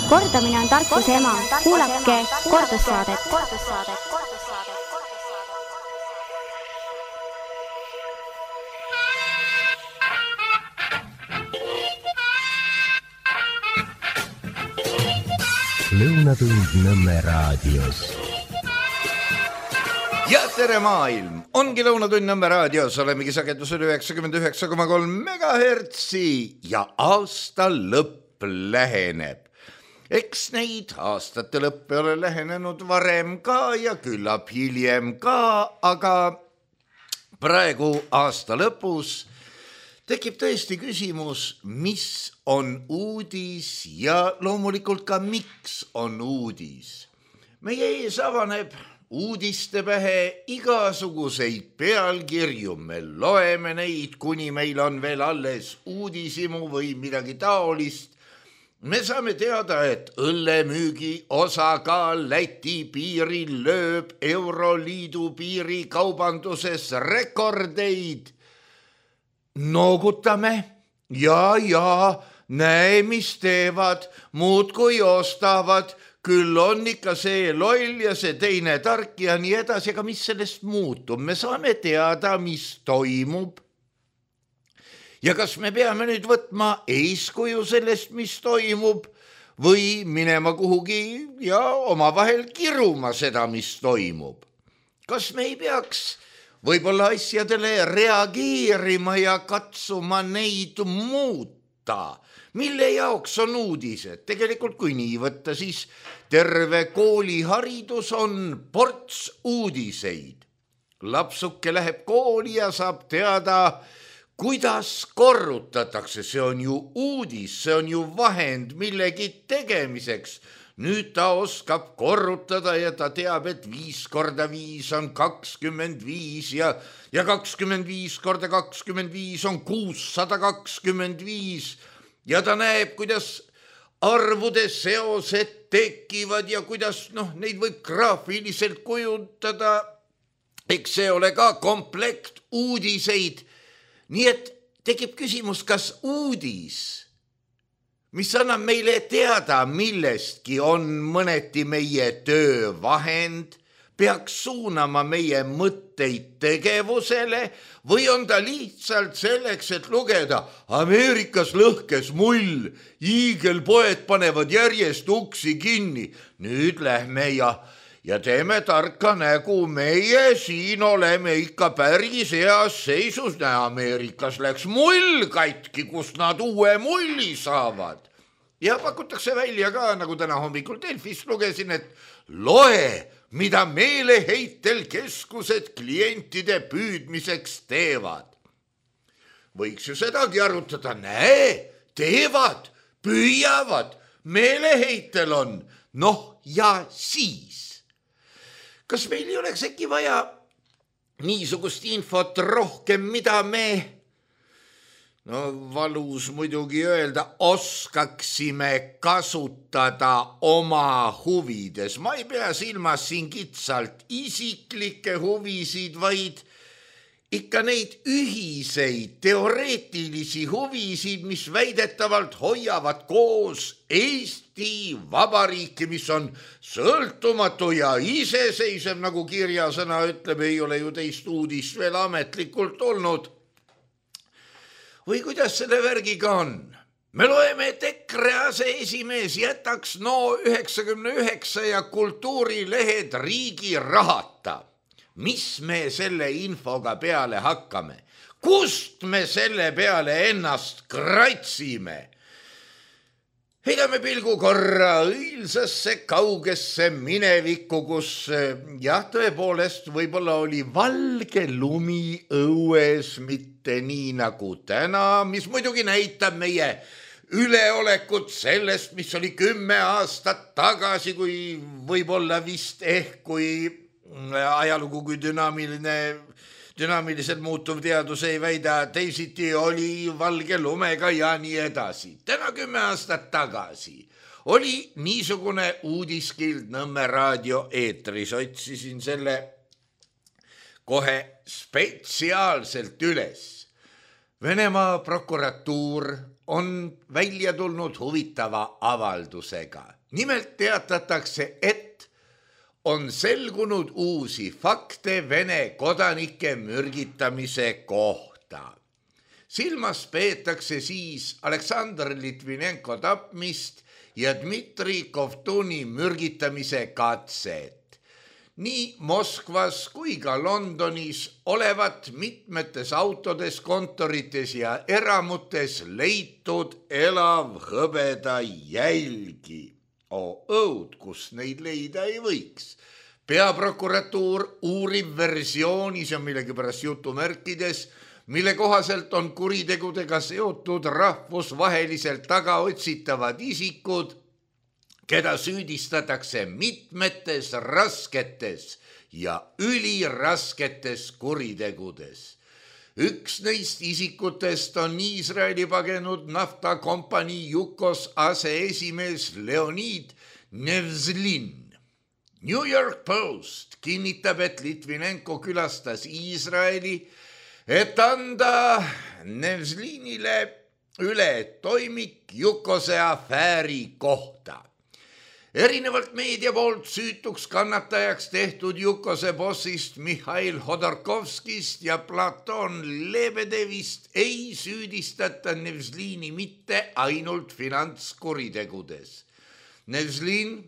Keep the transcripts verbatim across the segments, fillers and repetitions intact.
Kordamine on tarkuse ema. Kuulake kordussaadet. Lõunatund Nõmme raadios. Ja tere maailm! Ongi Lõunatund Nõmme raadios, olemegi sagedusel üheksakümmend üheksa koma kolm megahertsi ja aasta lõpp läheneb. Eks neid aastate lõppe ole lähenenud varem ka ja küllap hiljem ka, aga praegu aasta lõpus tekib tõesti küsimus, mis on uudis ja loomulikult ka miks on uudis. Meie ees avaneb uudistepähe igasuguseid pealkirju, me loeme neid, kuni meil on veel alles uudisimu või midagi taolist. Me saame teada, et õllemüügi osakaal Läti piiril lööb Euroliidu piiri kaubanduses rekordeid. Noogutame ja, ja, näe, mis teevad, muud kui ostavad, küll on ikka see loll ja see teine tark ja nii edasi, aga mis sellest muutub? Me saame teada, mis toimub. Ja kas me peame nüüd võtma eeskuju sellest, mis toimub, või minema kuhugi ja omavahel kiruma seda, mis toimub? Kas me ei peaks võib-olla asjadele reageerima ja katsuma neid muuta? Mille jaoks on uudised? Tegelikult kui nii võtta, siis terve kooliharidus on ports uudiseid. Lapsuke läheb kooli ja saab teada, kuidas korrutatakse. See on ju uudis, see on ju vahend millegi tegemiseks. Nüüd ta oskab korrutada ja ta teab, et viis korda viis on kakskümmend viis ja, ja kakskümmend viis korda kakskümmend viis on kuussada kakskümmend viis. Ja ta näeb, kuidas arvude seosed tekivad ja kuidas noh, neid võib graafiliselt kujundada. Eks see ole ka komplekt uudiseid. Nii et tekib küsimus, kas uudis, mis annab meile teada millestki, on mõneti meie töövahend, peaks suunama meie mõtteid tegevusele või on ta lihtsalt selleks, et lugeda Ameerikas lõhkes mull, hiigelpoed panevad järjest uksi kinni. Nüüd lähme ja, ja teeme tarka nägu, meie siin oleme ikka päris heas seisus. Ameerikas läks mull katki, kust nad uue mulli saavad. Ja pakutakse välja ka, nagu täna hommikul Delfist lugesin, et loe, mida meeleheitel keskused klientide püüdmiseks teevad. Võiks ju sedagi arutada, näe, teevad, püüavad, meeleheitel on. Noh ja siis. Kas meil ei oleks äkki vaja niisugust infot rohkem, mida me, no valus muidugi öelda, oskaksime kasutada oma huvides. Ma ei pea silmas siin kitsalt isiklikke huvisid, vaid ikka neid ühiseid teoreetilisi huvisid, mis väidetavalt hoiavad koos Eesti Vabariiki, mis on sõltumatu ja iseseisev, nagu kirjasõna ütleb, ei ole ju teist uudist veel ametlikult olnud. Või kuidas selle värgiga on? Me loeme, et EKRE aseesimees jätaks no üheksakümne üheksa ja kultuurilehed riigi rahata. Mis me selle infoga peale hakkame? Kust me selle peale ennast kratsime? Heidame pilgu korra õilsasse kaugesse minevikku, kus jah, tõepoolest võib-olla oli valge lumi õues, mitte nii nagu täna, mis muidugi näitab meie üleolekut sellest, mis oli kümme aastat tagasi, kui võib-olla vist ehk, kui ajalugu kui dünaamiline dünaamiliselt muutuv teadus ei väida, teisiti oli valge lumega ja nii edasi. Täna kümme aastat tagasi oli niisugune uudiskild Nõmme raadio eetris. Otsisin selle kohe spetsiaalselt üles. Venemaa prokuratuur on välja tulnud huvitava avaldusega. nimelt teatatakse, et on selgunud uusi fakte Vene kodanike mürgitamise kohta. Silmas peetakse siis Aleksandr Litvinenko tapmist ja Dmitri Kovtuni mürgitamise katset. Nii Moskvas kui ka Londonis olevat mitmetes autodes, kontorites ja eramutes leitud elav hõbeda jälgi. O õud, kus neid leida ei võiks. Peaprokuratuur uurib versioonis ja millegipärast jutumärkides, mille kohaselt on kuritegudega seotud rahvusvaheliselt tagaotsitavad isikud, keda süüdistatakse mitmetes rasketes ja ülirasketes kuritegudes. Üks neist isikutest on Iisraeli pagenud naftakompanii Yukos aseesimees Leonid Nevzlin. New York Post kinnitab, et Litvinenko külastas Iisraeli, et anda Nevzlinile üle toimik Yukose afääri kohta. Erinevalt meedia poolt süütuks kannatajaks tehtud Yukose bossist Mihhail Hodorkovskist ja Platon Lebedevist ei süüdistata Nevzlini mitte ainult finantskuritegudes. Nevzlin,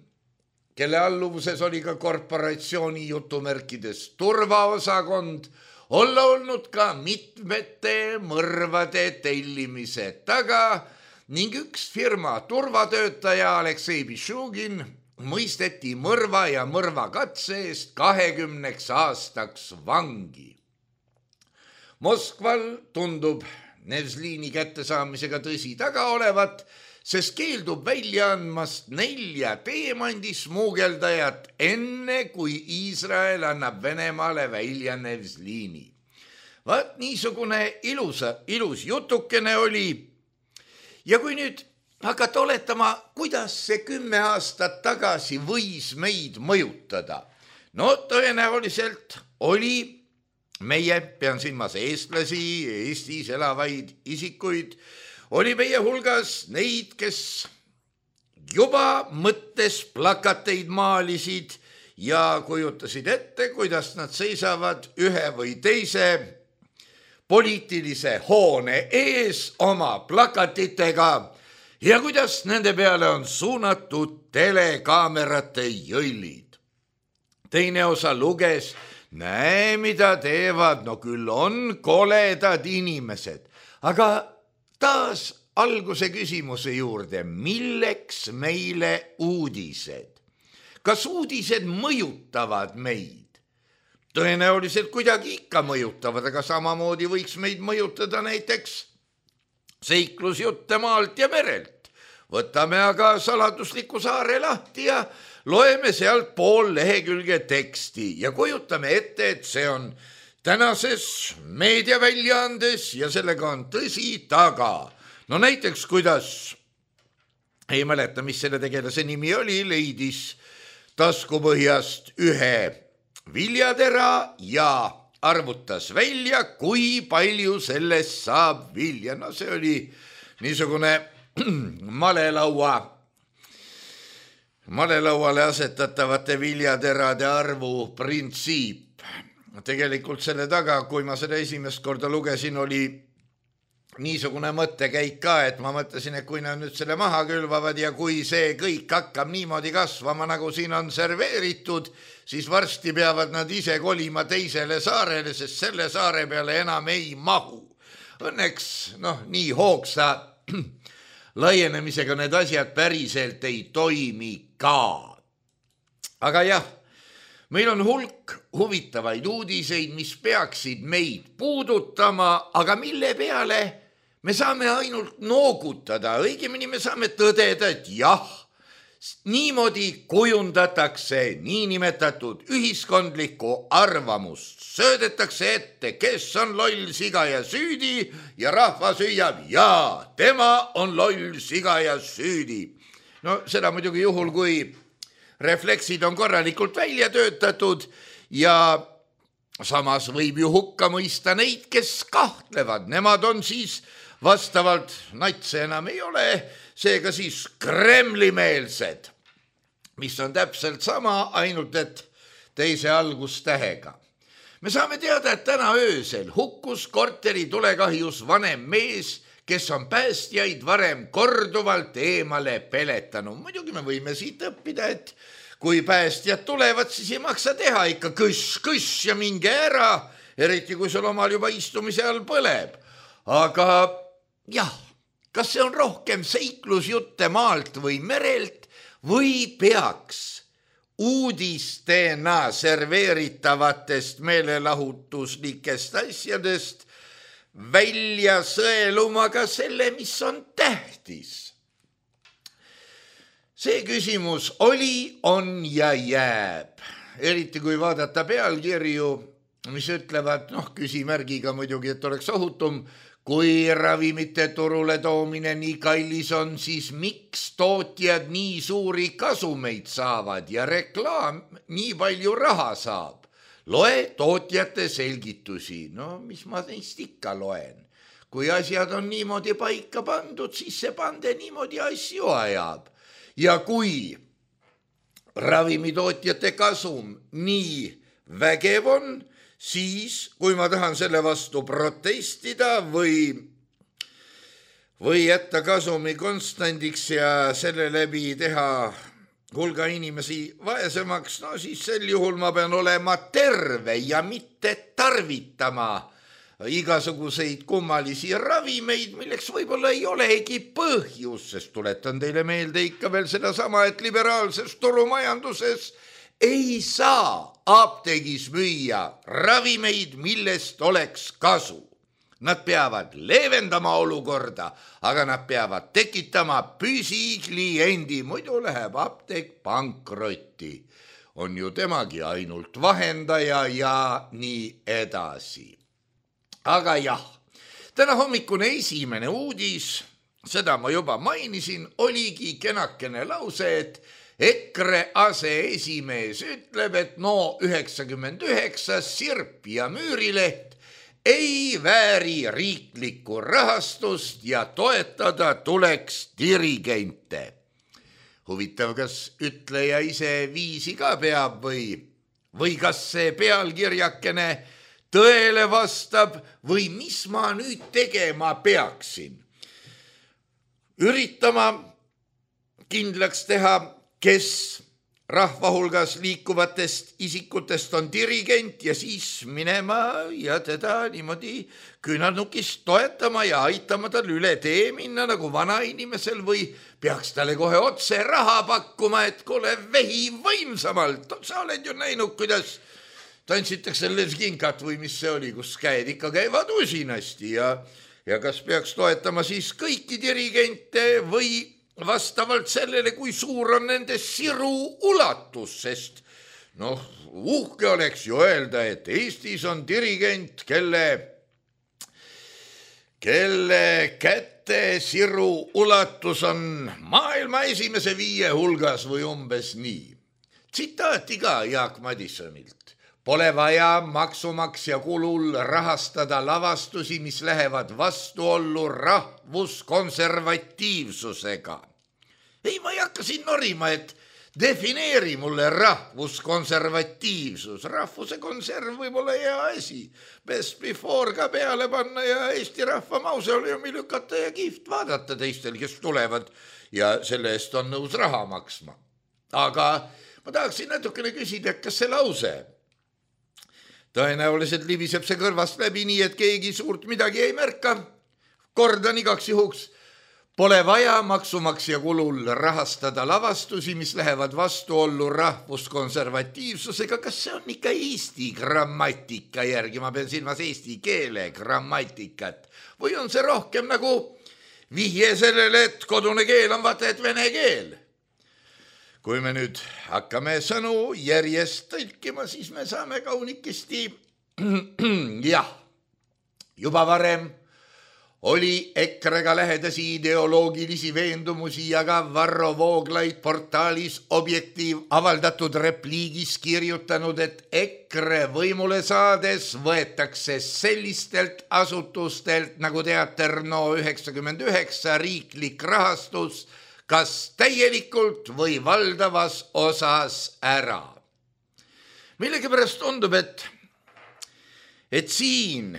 kelle alluvuses oli ka korporatsiooni jutumärkides turvaosakond, olla olnud ka mitmete mõrvade tellimise taga ning üks firma turvatöötaja Aleksei Bishugin mõisteti mõrva ja mõrvakatse eest kahekümneks aastaks vangi. Moskval tundub Nevzlini kättesaamisega tõsi taga olevat, sest keeldub välja andmast nelja teemandi smuugeldajat enne, kui Iisrael annab Venemaale välja Nevzlini. Vaat niisugune ilusa, ilus jutukene oli. Ja kui nüüd hakata oletama, kuidas see kümme aastat tagasi võis meid mõjutada, no tõenäoliselt oli meie, pean silmas eestlasi, Eestis elavaid isikuid, oli meie hulgas neid, kes juba mõttes plakateid maalisid ja kujutasid ette, kuidas nad seisavad ühe või teise poliitilise hoone ees oma plakatitega ja kuidas nende peale on suunatud telekaamerate jõllid. Teine osa luges, näe, mida teevad, no küll on koledad inimesed, aga taas alguse küsimuse juurde, milleks meile uudised? Kas uudised mõjutavad meid? Tõenäoliselt kuidagi ikka mõjutavad, aga samamoodi võiks meid mõjutada näiteks seiklusjutte maalt ja merelt. Võtame aga saladusliku saare lahti ja loeme sealt pool lehekülge teksti ja kujutame ette, et see on tänases meediaväljaandes ja sellega on tõsi taga. No näiteks, kuidas, ei mäleta, mis selle tegelase nimi oli, leidis taskupõhjast ühe viljatera ja arvutas välja, kui palju sellest saab vilja. No see oli niisugune malelaua, malelauale asetatavate viljaterade arvu printsiip. Tegelikult selle taga, kui ma seda esimest korda lugesin, oli niisugune mõttekäik ka, et ma mõtlesin, et kui nad nüüd selle maha külvavad ja kui see kõik hakkab niimoodi kasvama, nagu siin on serveeritud, siis varsti peavad nad ise kolima teisele saarele, sest selle saare peale enam ei mahu. Õnneks, noh, nii hoogsa laienemisega need asjad päriselt ei toimi ka. Aga jah, meil on hulk huvitavaid uudiseid, mis peaksid meid puudutama, aga mille peale me saame ainult noogutada, õigemini me saame tõdeda, et jah, niimoodi kujundatakse niinimetatud ühiskondlikku arvamust. Söödetakse ette, kes on loll, siga ja süüdi ja rahvas hüüab, jaa, tema on loll, siga ja süüdi. No seda muidugi juhul, kui refleksid on korralikult välja töötatud ja samas võib ju hukka mõista neid, kes kahtlevad. Nemad on siis vastavalt, natse enam ei ole, seega siis Kremli-meelsed. mis on täpselt sama, ainult et teise algustähega. Me saame teada, et täna öösel hukkus korteri tulekahjus vanem mees, kes on päästjaid varem korduvalt eemale peletanud. Muidugi me võime siit õppida, et kui päästjad tulevad, siis ei maksa teha ikka kõss, kõss ja minge ära, eriti kui sul omal juba istumise all põleb. Aga jah, kas see on rohkem seiklusjutte maalt või merelt või peaks uudistena serveeritavatest meelelahutuslikest asjadest välja sõeluma ka selle, mis on tähtis? See küsimus oli, on ja jääb. Eriti kui vaadata pealkirju, mis ütlevad, noh, küsimärgiga muidugi, et oleks ohutum, kui ravimite turule toomine nii kallis on, siis miks tootjad nii suuri kasumeid saavad ja reklaam nii palju raha saab? Loe tootjate selgitusi. No, mis ma neist ikka loen? Kui asjad on niimoodi paika pandud, siis see pande niimoodi asju ajab. Ja kui ravimitootjate kasum nii vägev on, siis kui ma tahan selle vastu protestida või, või jätta kasumi konstandiks ja selle läbi teha hulga inimesi vaesemaks, no siis sel juhul ma pean olema terve ja mitte tarvitama igasuguseid kummalisi ravimeid, milleks võib-olla ei olegi põhjus, sest tuletan teile meelde ikka veel seda sama, et liberaalses turumajanduses ei saa apteegis müüa ravimeid, millest oleks kasu. Nad peavad leevendama olukorda, aga nad peavad tekitama püsikliendi, muidu läheb apteek pankrotti. On ju temagi ainult vahendaja ja nii edasi. Aga jah, täna hommikune esimene uudis, seda ma juba mainisin, oligi kenakene lause, et EKRE aseesimees ütleb, et no üheksakümmend üheksa Sirp ja Müürileht ei vääri riiklikku rahastust ja toetada tuleks dirigente. Huvitav, kas ütleja ise viisi ka peab või, või kas see pealkirjakene tõele vastab või mis ma nüüd tegema peaksin? Üritama kindlaks teha, kes rahva hulgas liikuvatest isikutest on dirigent ja siis minema ja teda niimoodi küünarnukist toetama ja aitama tal üle tee minna nagu vanainimesel või peaks talle kohe otse raha pakkuma, et kuule vehi võimsamalt. Sa oled ju näinud, kuidas tantsitakse lesginkat või mis see oli, kus käed ikka käivad usinasti ja, ja kas peaks toetama siis kõiki dirigente või vastavalt sellele, kui suur on nende siru ulatus, sest noh, uhke oleks ju öelda, et Eestis on dirigent, kelle, kelle käte siru ulatus on maailma esimese viie hulgas või umbes nii. Tsitaati ka Jaak Madissonilt. Pole vaja maksumaksja kulul rahastada lavastusi, mis lähevad vastuollu rahvuskonservatiivsusega. Ei, ma ei hakka siin norima, et defineeri mulle rahvuskonservatiivsus. Rahvuse konserv võib olla hea asi. Best before ka peale panna ja Eesti rahva mausoleumi lükata ja kihvt vaadata teistel, kes tulevad ja selle eest on nõus raha maksma. Aga ma tahaksin natukene küsida, kas see lause tõenäoliselt libiseb see kõrvast läbi nii, et keegi suurt midagi ei märka. Kordan igaks juhuks. Pole vaja maksumaksja kulul rahastada lavastusi, mis lähevad vastuollu rahvuskonservatiivsusega. Kas see on ikka eesti grammatika järgi? Ma pean silmas eesti keele grammatikat. Või on see rohkem nagu vihje sellele, et kodune keel on vaata, et vene keel? Kui me nüüd hakkame sõnu järjest tõlkima, siis me saame kaunikesti, jah, juba varem oli EKRE-ga lähedasi ideoloogilisi veendumusi ja ka Varro Vooglaid portaalis Objektiiv avaldatud repliigis kirjutanud, et EKRE võimule saades võetakse sellistelt asutustelt nagu Teater No üheksakümmend üheksa riiklik rahastus kas täielikult või valdavas osas ära. Millegipärast tundub, et, et siin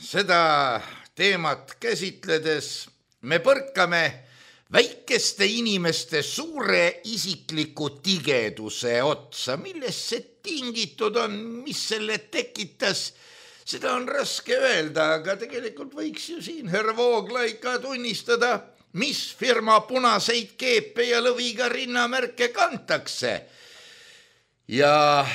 seda teemat käsitledes me põrkame väikeste inimeste suure isikliku tigeduse otsa, millest see tingitud on, mis selle tekitas, seda on raske öelda, aga tegelikult võiks ju siin härra Vooglaid ka tunnistada, mis firma punaseid keepe ja lõviga rinnamärke kantakse. Ja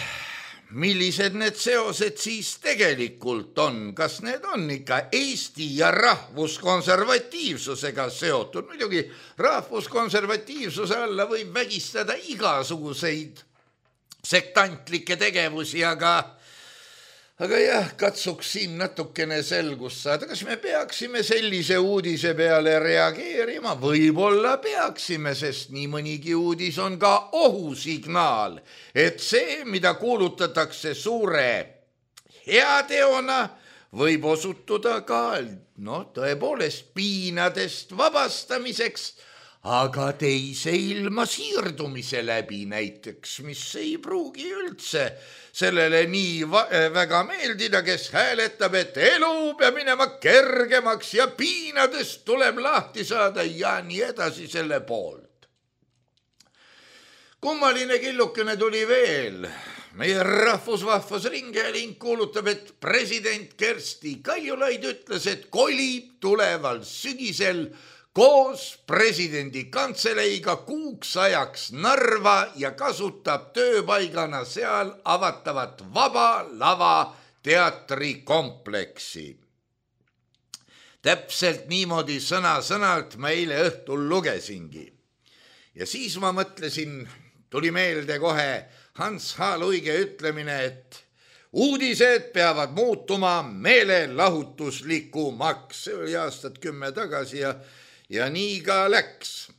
millised need seosed siis tegelikult on, kas need on ikka Eesti ja rahvuskonservatiivsusega seotud? Muidugi rahvuskonservatiivsuse alla võib vägistada igasuguseid sektantlikke tegevusi, aga, aga jah, katsuks siin natukene selgust saada. Kas me peaksime sellise uudise peale reageerima? Võib-olla peaksime, sest nii mõnigi uudis on ka ohusignaal, et see, mida kuulutatakse suure heateona, võib osutuda ka no, tõepoolest piinadest vabastamiseks, aga teise ilma siirdumise läbi näiteks, mis ei pruugi üldse sellele nii va- väga meeldida, kes hääletab, et elu peab minema kergemaks ja piinadest tuleb lahti saada ja nii edasi selle poolt. Kummaline killukene tuli veel. Meie rahvusvahvas ringhääling kuulutab, et president Kersti Kaljulaid ütles, et kolib tuleval sügisel koos presidendi kantseleiga kuuks ajaks Narva ja kasutab tööpaigana seal avatavat Vaba Lava teatrikompleksi. Täpselt niimoodi sõna-sõnalt ma eile õhtul lugesingi. Ja siis ma mõtlesin, tuli meelde kohe Hans H. Luige ütlemine, et uudised peavad muutuma meelelahutuslikumaks. See oli aastat kümme tagasi ja Ja nii ka läks.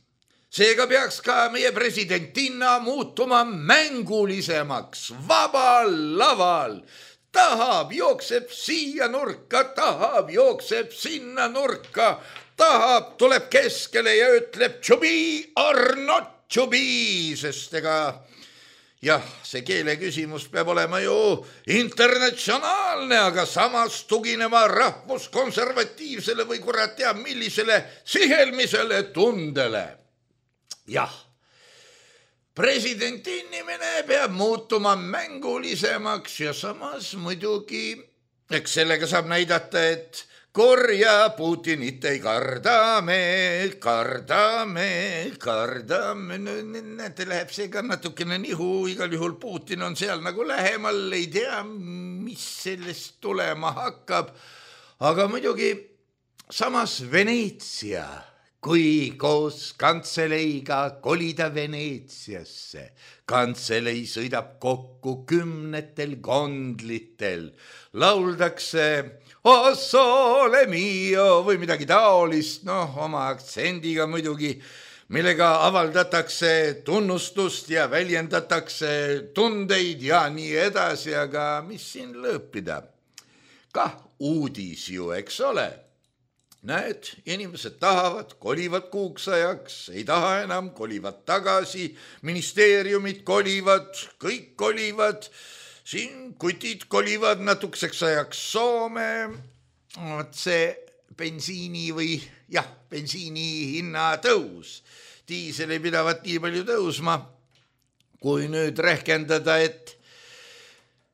Seega peaks ka meie presidentinna muutuma mängulisemaks, vabal laval. Tahab, jookseb siia nurka, tahab, jookseb sinna nurka, tahab, tuleb keskele ja ütleb tšubi or not tšubi, sest ega jah, see keele küsimus peab olema ju internatsionaalne, aga samas tuginema rahvuskonservatiivsele või kurat teab millisele sihelmisele tundele. Jah, presidendi inimene peab muutuma mängulisemaks ja samas muidugi, eks sellega saab näidata, et korja Putinit ei kardame, kardame, kardame. Näete, läheb see ka natukene nihu, igal juhul Putin on seal nagu lähemal, ei tea, mis sellest tulema hakkab. Aga muidugi samas Veneetsia, kui koos kantseleiga kolida Veneetsiasse. Kantselei sõidab kokku kümnetel gondlitel, lauldakse O sole mio või midagi taolist, noh, oma aktsendiga muidugi, millega avaldatakse tunnustust ja väljendatakse tundeid ja nii edasi, aga mis siin lõppida? Kah uudis ju, eks ole. Näed, inimesed tahavad, kolivad kuuks ajaks, ei taha enam, kolivad tagasi, ministeeriumid kolivad, kõik kolivad, siin kutid kolivad natukeseks ajaks Soome, see bensiini või jah, bensiini hinna tõus. Diisel ei pidavat nii palju tõusma, kui nüüd rehkendada, et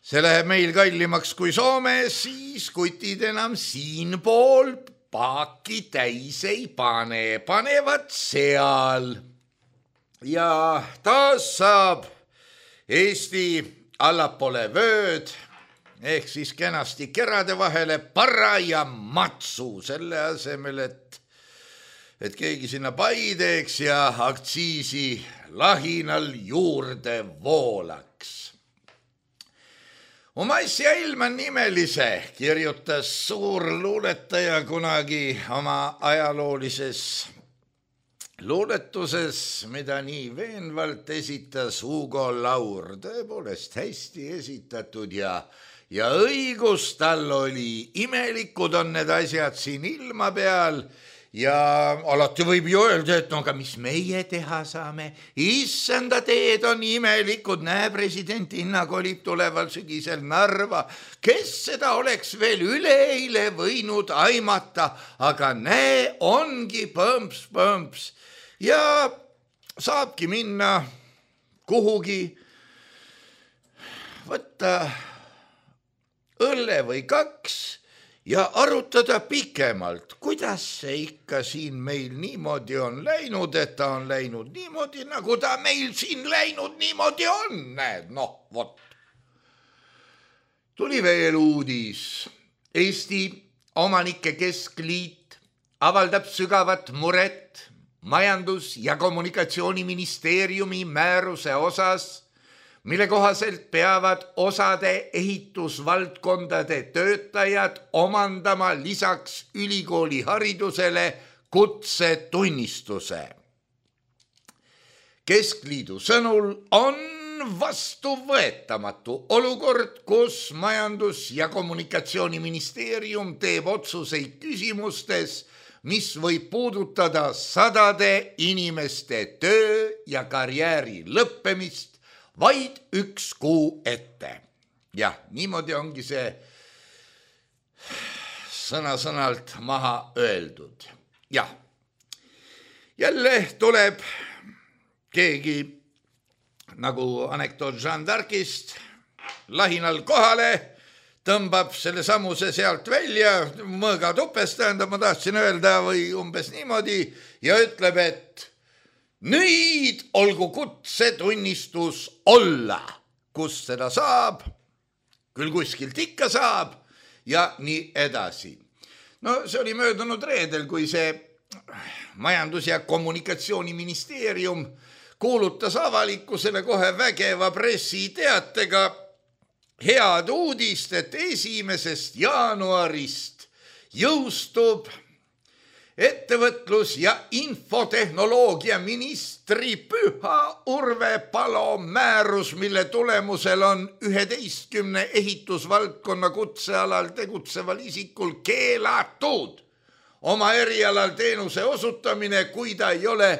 see läheb meil kallimaks kui Soome, siis kutid enam siin pool paaki täis ei pane, panevad seal. Ja taas saab Eesti allapoole vööd, ehk siis kenasti kerade vahele para ja matsu selle asemel, et, et keegi sinna pai teeks ja aktsiisi lahinal juurde voolaks. Oma asja ilma nimelise kirjutas suur luuletaja kunagi oma ajaloolises luuletuses, mida nii veenvalt esitas Hugo Laur, tõepoolest hästi esitatud ja, ja õigus tal oli, imelikud on need asjad siin ilma peal ja alati võib ju öelda, et no aga mis meie teha saame, issanda teed on imelikud, näe president Inna kolib tuleval sügisel Narva, kes seda oleks veel üleeile võinud aimata, aga näe, ongi põmps-põmps ja saabki minna kuhugi, võtta õlle või kaks ja arutada pikemalt, kuidas see ikka siin meil niimoodi on läinud, et ta on läinud niimoodi, nagu ta meil siin läinud niimoodi on, näed, noh, vot. Tuli veel uudis. Eesti Omanike Keskliit avaldab sügavat muret majandus- ja kommunikatsiooniministeeriumi määruse osas, mille kohaselt peavad osade ehitusvaldkondade töötajad omandama lisaks ülikooli haridusele kutsetunnistuse. Keskliidu sõnul on vastuvõetamatu olukord, kus majandus- ja kommunikatsiooniministeerium teeb otsuseid küsimustes, mis võib puudutada sadade inimeste töö ja karjääri lõppemist vaid üks kuu ette. Jah, niimoodi ongi see sõna-sõnalt maha öeldud. Jah, jälle tuleb keegi nagu anekdoot Jeanne d'Arcist lahinal kohale, tõmbab selle samuse sealt välja, mõõga tupes, tähendab, ma tahtsin öelda või umbes niimoodi ja ütleb, et nüüd olgu kutsetunnistus olla, kus seda saab, küll kuskilt ikka saab ja nii edasi. No see oli möödunud reedel, kui see majandus- ja kommunikatsiooniministeerium kuulutas avalikkusele kohe vägeva pressiteatega head uudist, et esimesest jaanuarist jõustub ettevõtlus- ja infotehnoloogia ministri Püha Urve Palo määrus, mille tulemusel on üheteistkümne ehitusvaldkonna kutsealal tegutseval isikul keelatud oma erialal teenuse osutamine, kui ta ei ole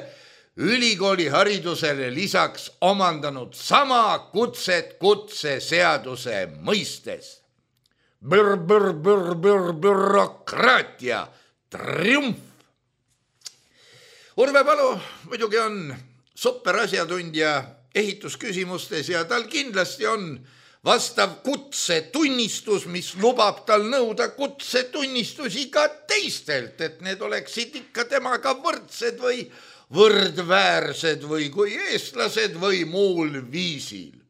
ülikooli haridusele lisaks omandanud sama kutset kutseseaduse mõistes. Bür, bür, bür, bür, bürokraatia triumf. Urve Palo muidugi on super asjatundja ehitusküsimustes ja tal kindlasti on vastav kutsetunnistus, mis lubab tal nõuda kutsetunnistusi ka teistelt, et need oleksid ikka temaga võrdsed või võrdväärsed või kui eestlased või muul viisil.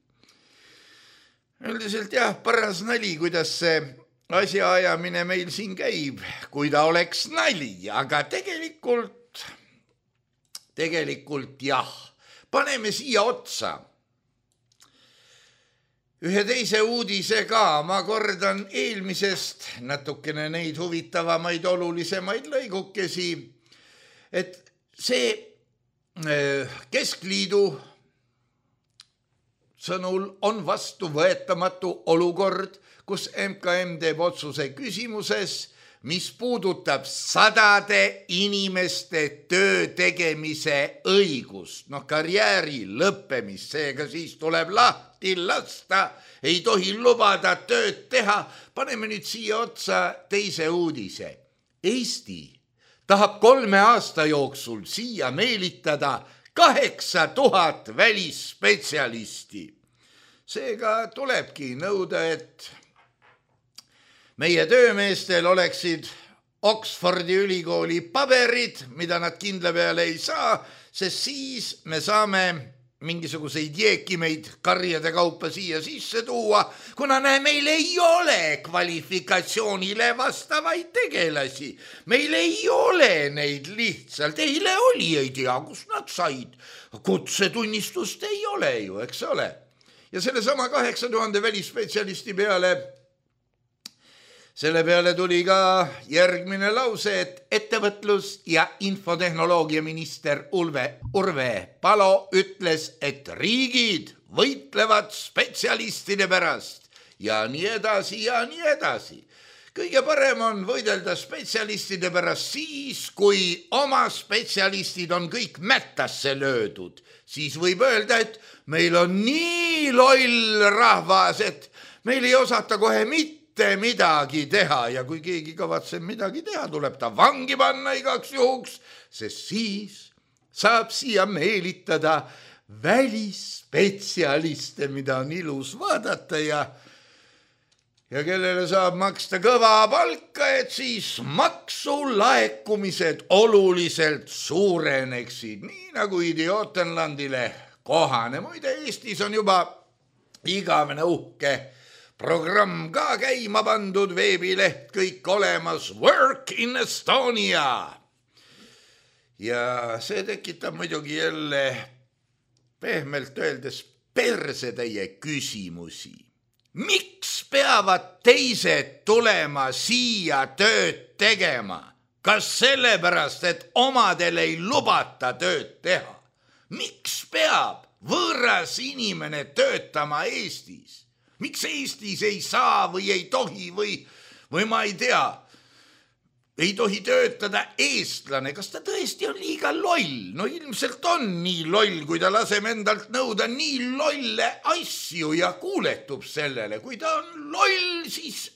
Üldiselt jah, paras nali, kuidas see asjaajamine meil siin käib, kui ta oleks nali, aga tegelikult, tegelikult jah, paneme siia otsa ühe teise uudise ka, ma kordan eelmisest natukene neid huvitavamaid olulisemaid lõigukesi, et see Keskliidu sõnul on vastuvõetamatu olukord, kus M K M teeb otsuse küsimuses, mis puudutab sadade inimeste töö tegemise õigust, noh karjääri lõppemist, seega siis tuleb lahti lasta, ei tohi lubada tööd teha. Paneme nüüd siia otsa teise uudise. Eesti tahab kolme aasta jooksul siia meelitada kaheksa tuhat välisspetsialisti. Seega tulebki nõuda, et meie töömeestel oleksid Oxfordi ülikooli paberid, mida nad kindla peale ei saa, sest siis me saame mingisuguseid jeekimeid karjade kaupa siia sisse tuua, kuna näe, meil ei ole kvalifikatsioonile vastavaid tegelasi. Meil ei ole neid lihtsalt, eile oli, ei tea, kus nad said. Kutsetunnistust ei ole ju, eks ole. Ja selle sama kaheksa tuhande välisspetsialisti peale Selle peale tuli ka järgmine lause, et ettevõtlus- ja infotehnoloogia minister Ulve, Urve Palo ütles, et riigid võitlevad spetsialistide pärast ja nii edasi ja nii edasi. kõige parem on võidelda spetsialistide pärast siis, kui oma spetsialistid on kõik mättasse löödud. Siis võib öelda, et meil on nii loll rahvas, et meil ei osata kohe mitte midagi teha ja kui keegi kavatseb midagi teha, tuleb ta vangi panna igaks juhuks, sest siis saab siia meelitada välisspetsialiste, mida on ilus vaadata ja ja kellele saab maksta kõva palka, et siis maksulaekumised oluliselt suureneksid, nii nagu Idiootenlandile kohane. Muide, Eestis on juba igavene uhke programm ka käima pandud, veebileht kõik olemas, Work in Estonia. Ja see tekitab muidugi jälle pehmelt öeldes persetäie küsimusi. Miks peavad teised tulema siia tööd tegema? Kas sellepärast, et omadel ei lubata tööd teha? Miks peab võõras inimene töötama Eestis? Miks Eestis ei saa või ei tohi või, või ma ei tea, ei tohi töötada eestlane? Kas ta tõesti on liiga loll? No ilmselt on nii loll, kui ta laseb endalt nõuda nii lolle asju ja kuuletub sellele. Kui ta on loll, siis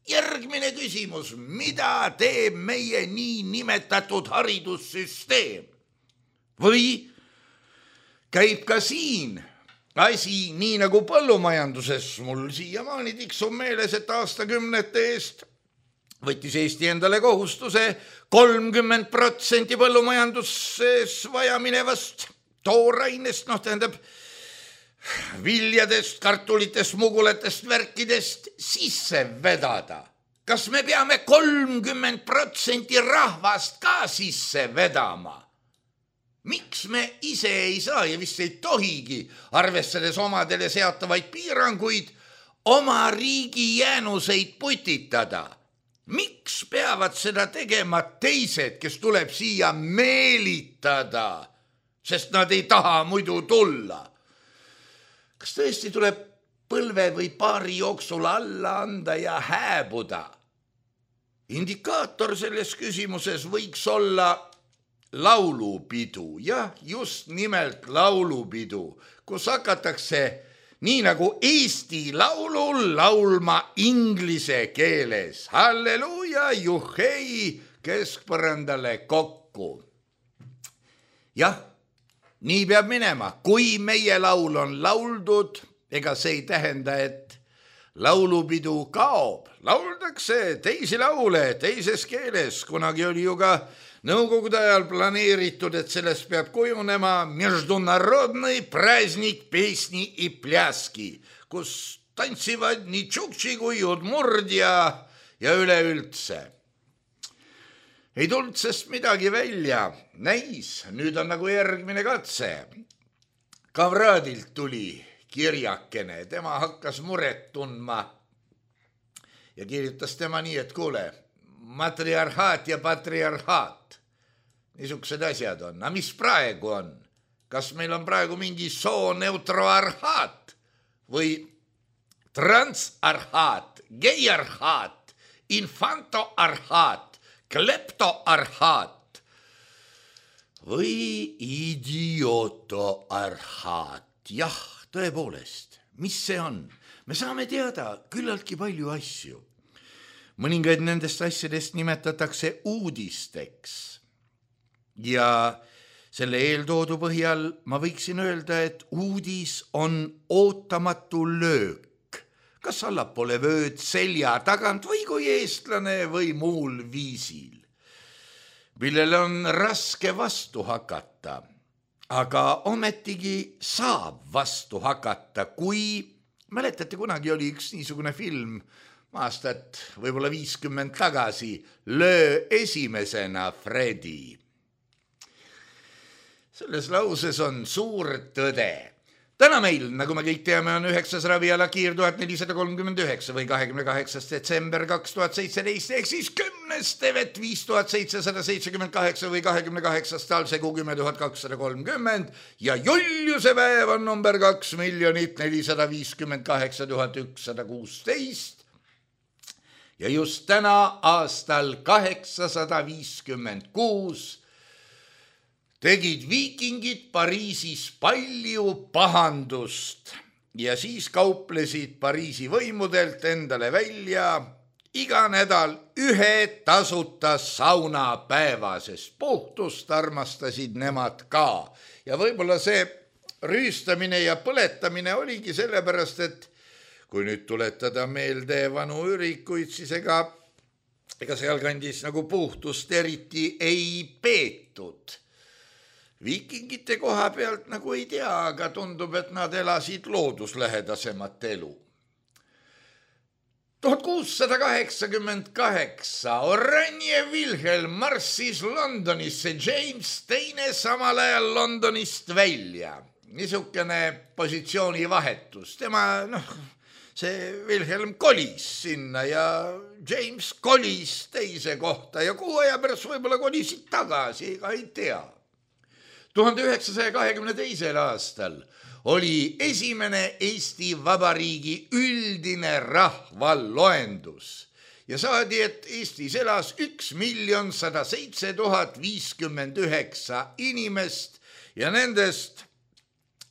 järgmine küsimus, mida teeb meie nii nimetatud haridussüsteem? Või käib ka siin asi nii nagu põllumajanduses? Mul siiamaani tiksub meeles, et aastakümnete eest võttis Eesti endale kohustuse kolmkümmend protsenti põllumajanduses vaja minevast toorainest, noh tähendab viljadest, kartulitest, mugulatest, värkidest sisse vedada. Kas me peame kolmkümmend protsenti rahvast ka sisse vedama? Miks me ise ei saa ja vist ei tohigi, arvestades omadele seatavaid piiranguid, oma riigi jäänuseid putitada? Miks peavad seda tegema teised, kes tuleb siia meelitada, sest nad ei taha muidu tulla? Kas tõesti tuleb põlve või paari jooksul alla anda ja hääbuda? Indikaator selles küsimuses võiks olla laulupidu, jah, just nimelt laulupidu, kus hakatakse nii nagu Eesti laulul laulma inglise keeles. Halleluuja, juhei, keskpõrandale kokku. Jah, nii peab minema. Kui meie laul on lauldud, ega see ei tähenda, et laulupidu kaob. Lauldakse teisi laule teises keeles. Kunagi oli ju ka nõukogude ajal planeeritud, et sellest peab kujunema международный праздник песни и пляски, kus tantsivad nii tšuktši kui udmurd ja, ja üleüldse. Ei tulnud sest midagi välja. Näis, nüüd on nagu järgmine katse. Kavradilt tuli kirjakene, tema hakkas muret tundma ja kirjutas tema nii, et kuule, matriarhaat ja patriarhaat. Niisugused asjad on. Aga mis praegu on? Kas meil on praegu mingi sooneutroarhaat või transarhaat, geiarhaat, infantoarhaat, kleptoarhaat või idiotoarhaat? Jah, tõepoolest, mis see on? Me saame teada küllaltki palju asju. Mõningaid nendest asjadest nimetatakse uudisteks. Ja selle eeltoodu põhjal ma võiksin öelda, et uudis on ootamatu löök. Kas allapoole vööd selja tagant või kui eestlane või muul viisil, millele on raske vastu hakata, aga ometigi saab vastu hakata, kui, mäletate, kunagi oli üks niisugune film, aastat võib-olla viiskümmend tagasi, Löö esimesena, Fredi. Selles lauses on suur tõde. Täna meil, nagu me kõik teame, on üheksas raviala kiir tuhat nelisada kolmkümmend üheksa või kahekümne kaheksas detsember kaks tuhat seitseteist, ehk siis kümnes tevet viis tuhat seitsesada seitsekümmend kaheksa või kahekümne kaheksas talsegu kümme tuhat kakssada kolmkümmend ja Juliuse päev on number kaks miljonit nelisada viiskümmend kaheksa tuhat ükssada kuusteist. ja just täna aastal kaheksasada viiskümmend kuus tegid viikingid Pariisis palju pahandust ja siis kauplesid Pariisi võimudelt endale välja iga nädal ühe tasuta saunapäeva, sest puhtust armastasid nemad ka. Ja võib-olla see rüüstamine ja põletamine oligi sellepärast, et kui nüüd tuletada meelde vanu ürikuid, siis ega, ega sealkandis nagu puhtust eriti ei peetud. Viikingite koha pealt nagu ei tea, aga tundub, et nad elasid looduslähedasemat elu. tuhat kuussada kaheksakümmend kaheksa Oranje Wilhelm marssis Londonisse, James teine samal ajal Londonist välja. Niisugune positsiooni vahetus. Tema, noh, see Wilhelm kolis sinna ja James kolis teise kohta ja kuu aja pärast võib-olla kolisid tagasi, ega ei tea. tuhande üheksasaja kahekümne teisel aastal oli esimene Eesti Vabariigi üldine rahvaloendus ja saadi, et Eestis elas üks miljon sada seitse tuhat viiskümmend üheksa inimest ja nendest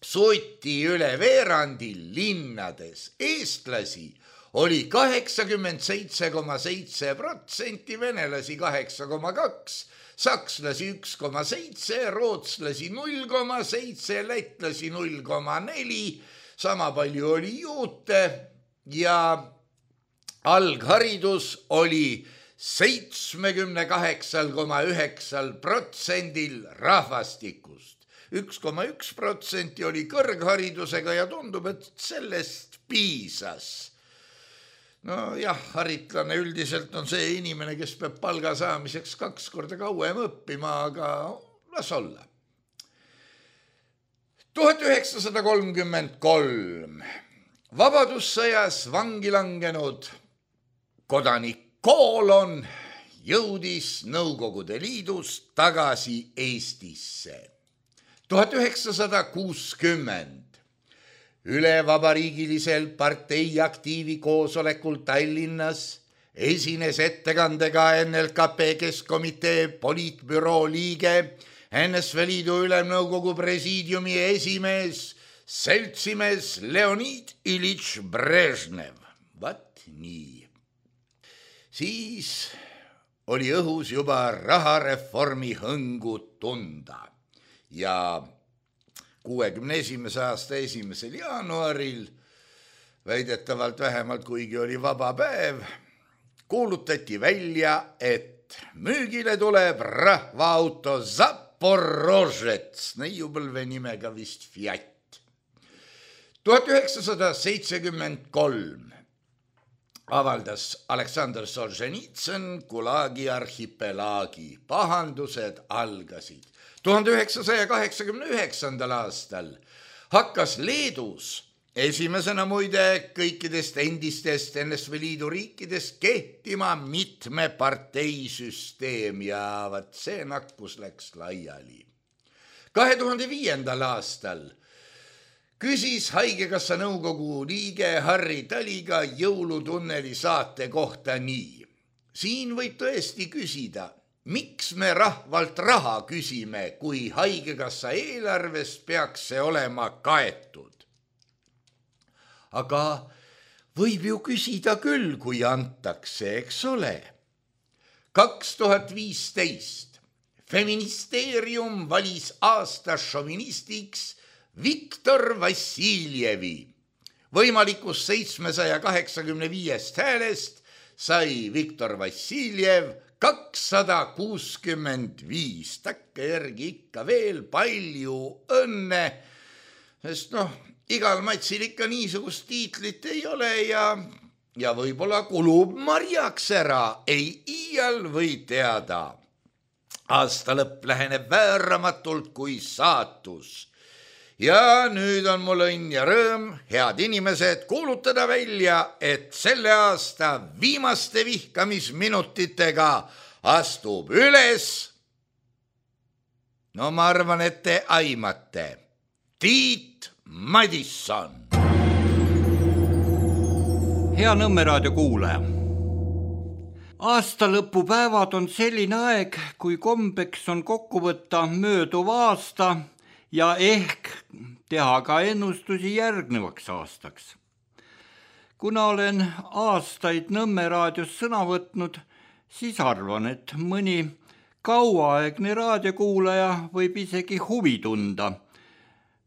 sooti üle veerandi linnades. Eestlasi oli kaheksakümmend seitse koma seitse protsenti, venelasi kaheksa koma kaks, sakslasi üks koma seitse, rootslasi null koma seitse, lätlasi null koma neli, sama palju oli juute ja algharidus oli seitsmekümne kaheksa koma üheksa protsendil rahvastikust. üks koma üks protsenti oli kõrgharidusega ja tundub, et sellest piisas. No jah, haritlane üldiselt on see inimene, kes peab palga saamiseks kaks korda kauem õppima, aga las olla. tuhat üheksasada kolmkümmend kolm vabadussõjas vangi langenud kodanik Koolon jõudis Nõukogude Liidust tagasi Eestisse. tuhat üheksasada kuuskümmend üle vabariigilisel partei aktiivi koosolekul Tallinnas esines ettekandega N L K P Keskkomitee poliitbüroo liige, N S V Liidu ülemnõukogu presiidiumi esimees, seltsimees Leonid Ilitš Brežnev. Vat nii. Siis oli õhus juba rahareformi hõngu tunda ja kuuekümne esimese aasta esimesel jaanuaril, väidetavalt vähemalt kuigi oli vaba päev, kuulutati välja, et müügile tuleb rahvaauto Zaporožets, neiupõlve nimega vist Fiat. tuhat üheksasada seitsekümmend kolm avaldas Aleksandr Solženitsõn Gulagi arhipelaagi. Pahandused algasid. tuhande üheksasaja kaheksakümne üheksandal aastal hakkas Leedus esimesena muide kõikidest endistest N S V Liidu riikidest kehtima mitme parteisüsteem ja vat see nakkus läks laiali. kahe tuhande viiendal aastal küsis Haigekassa nõukogu liige Harri Taliga jõulutunneli saate kohta nii. Siin võib tõesti küsida, miks me rahvalt raha küsime, kui Haigekassa eelarves peaks see olema kaetud? Aga võib ju küsida küll, kui antakse, eks ole. kaks tuhat viisteist Feministeerium valis aasta šovinistiks Viktor Vassiljevi. Võimalikus seitsmesaja kaheksakümne viiest häälest sai Viktor Vassiljev kakssada kuuskümmend viis. Takke järgi ikka veel palju õnne, sest noh, igal matsil ikka niisugust tiitlit ei ole ja, ja võib-olla kulub marjaks ära, ei iial või teada. Aasta lõpp läheneb vääramatult kui saatus. Ja nüüd on mul õnn ja rõõm, head inimesed, kuulutada välja, et selle aasta viimaste vihkamisminutitega astub üles, no ma arvan, et te aimate, Tiit Madisson. Hea Nõmme raadio kuulaja, Aastalõpupäevad on selline aeg, kui kombeks on kokku võtta mööduv aasta ja ehk teha ka ennustusi järgnevaks aastaks. Kuna olen aastaid Nõmme raadios sõna võtnud, siis arvan, et mõni kauaaegne raadiokuulaja võib isegi huvi tunda,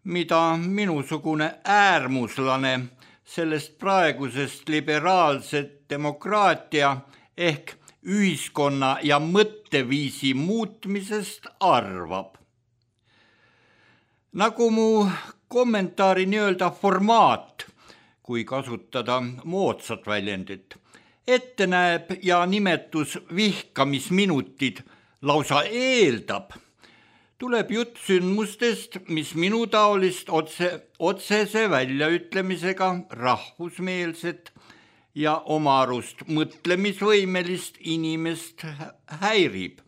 mida minusugune äärmuslane sellest praegusest liberaalset demokraatia ehk ühiskonna ja mõtteviisi muutmisest arvab. Nagu mu kommentaari nii-öelda formaat, kui kasutada moodsat väljendit, ette näeb ja nimetus vihkamisminutid lausa eeldab, tuleb jutt sündmustest, mis minu taolist otse, otsese väljaütlemisega rahvusmeelset ja oma arust mõtlemisvõimelist inimest häirib.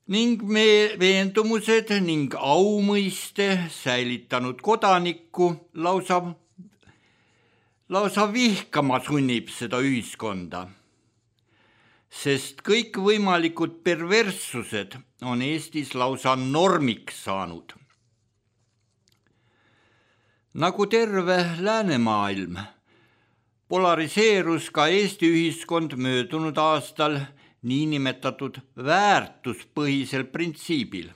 Ning me veendumused ning aumõiste säilitanud kodanikku lausa, lausa vihkama sunnib seda ühiskonda. Sest kõik võimalikud perverssused on Eestis lausa normiks saanud. Nagu terve läänemaailm, polariseerus ka Eesti ühiskond möödunud aastal niinimetatud väärtuspõhisel printsiibil.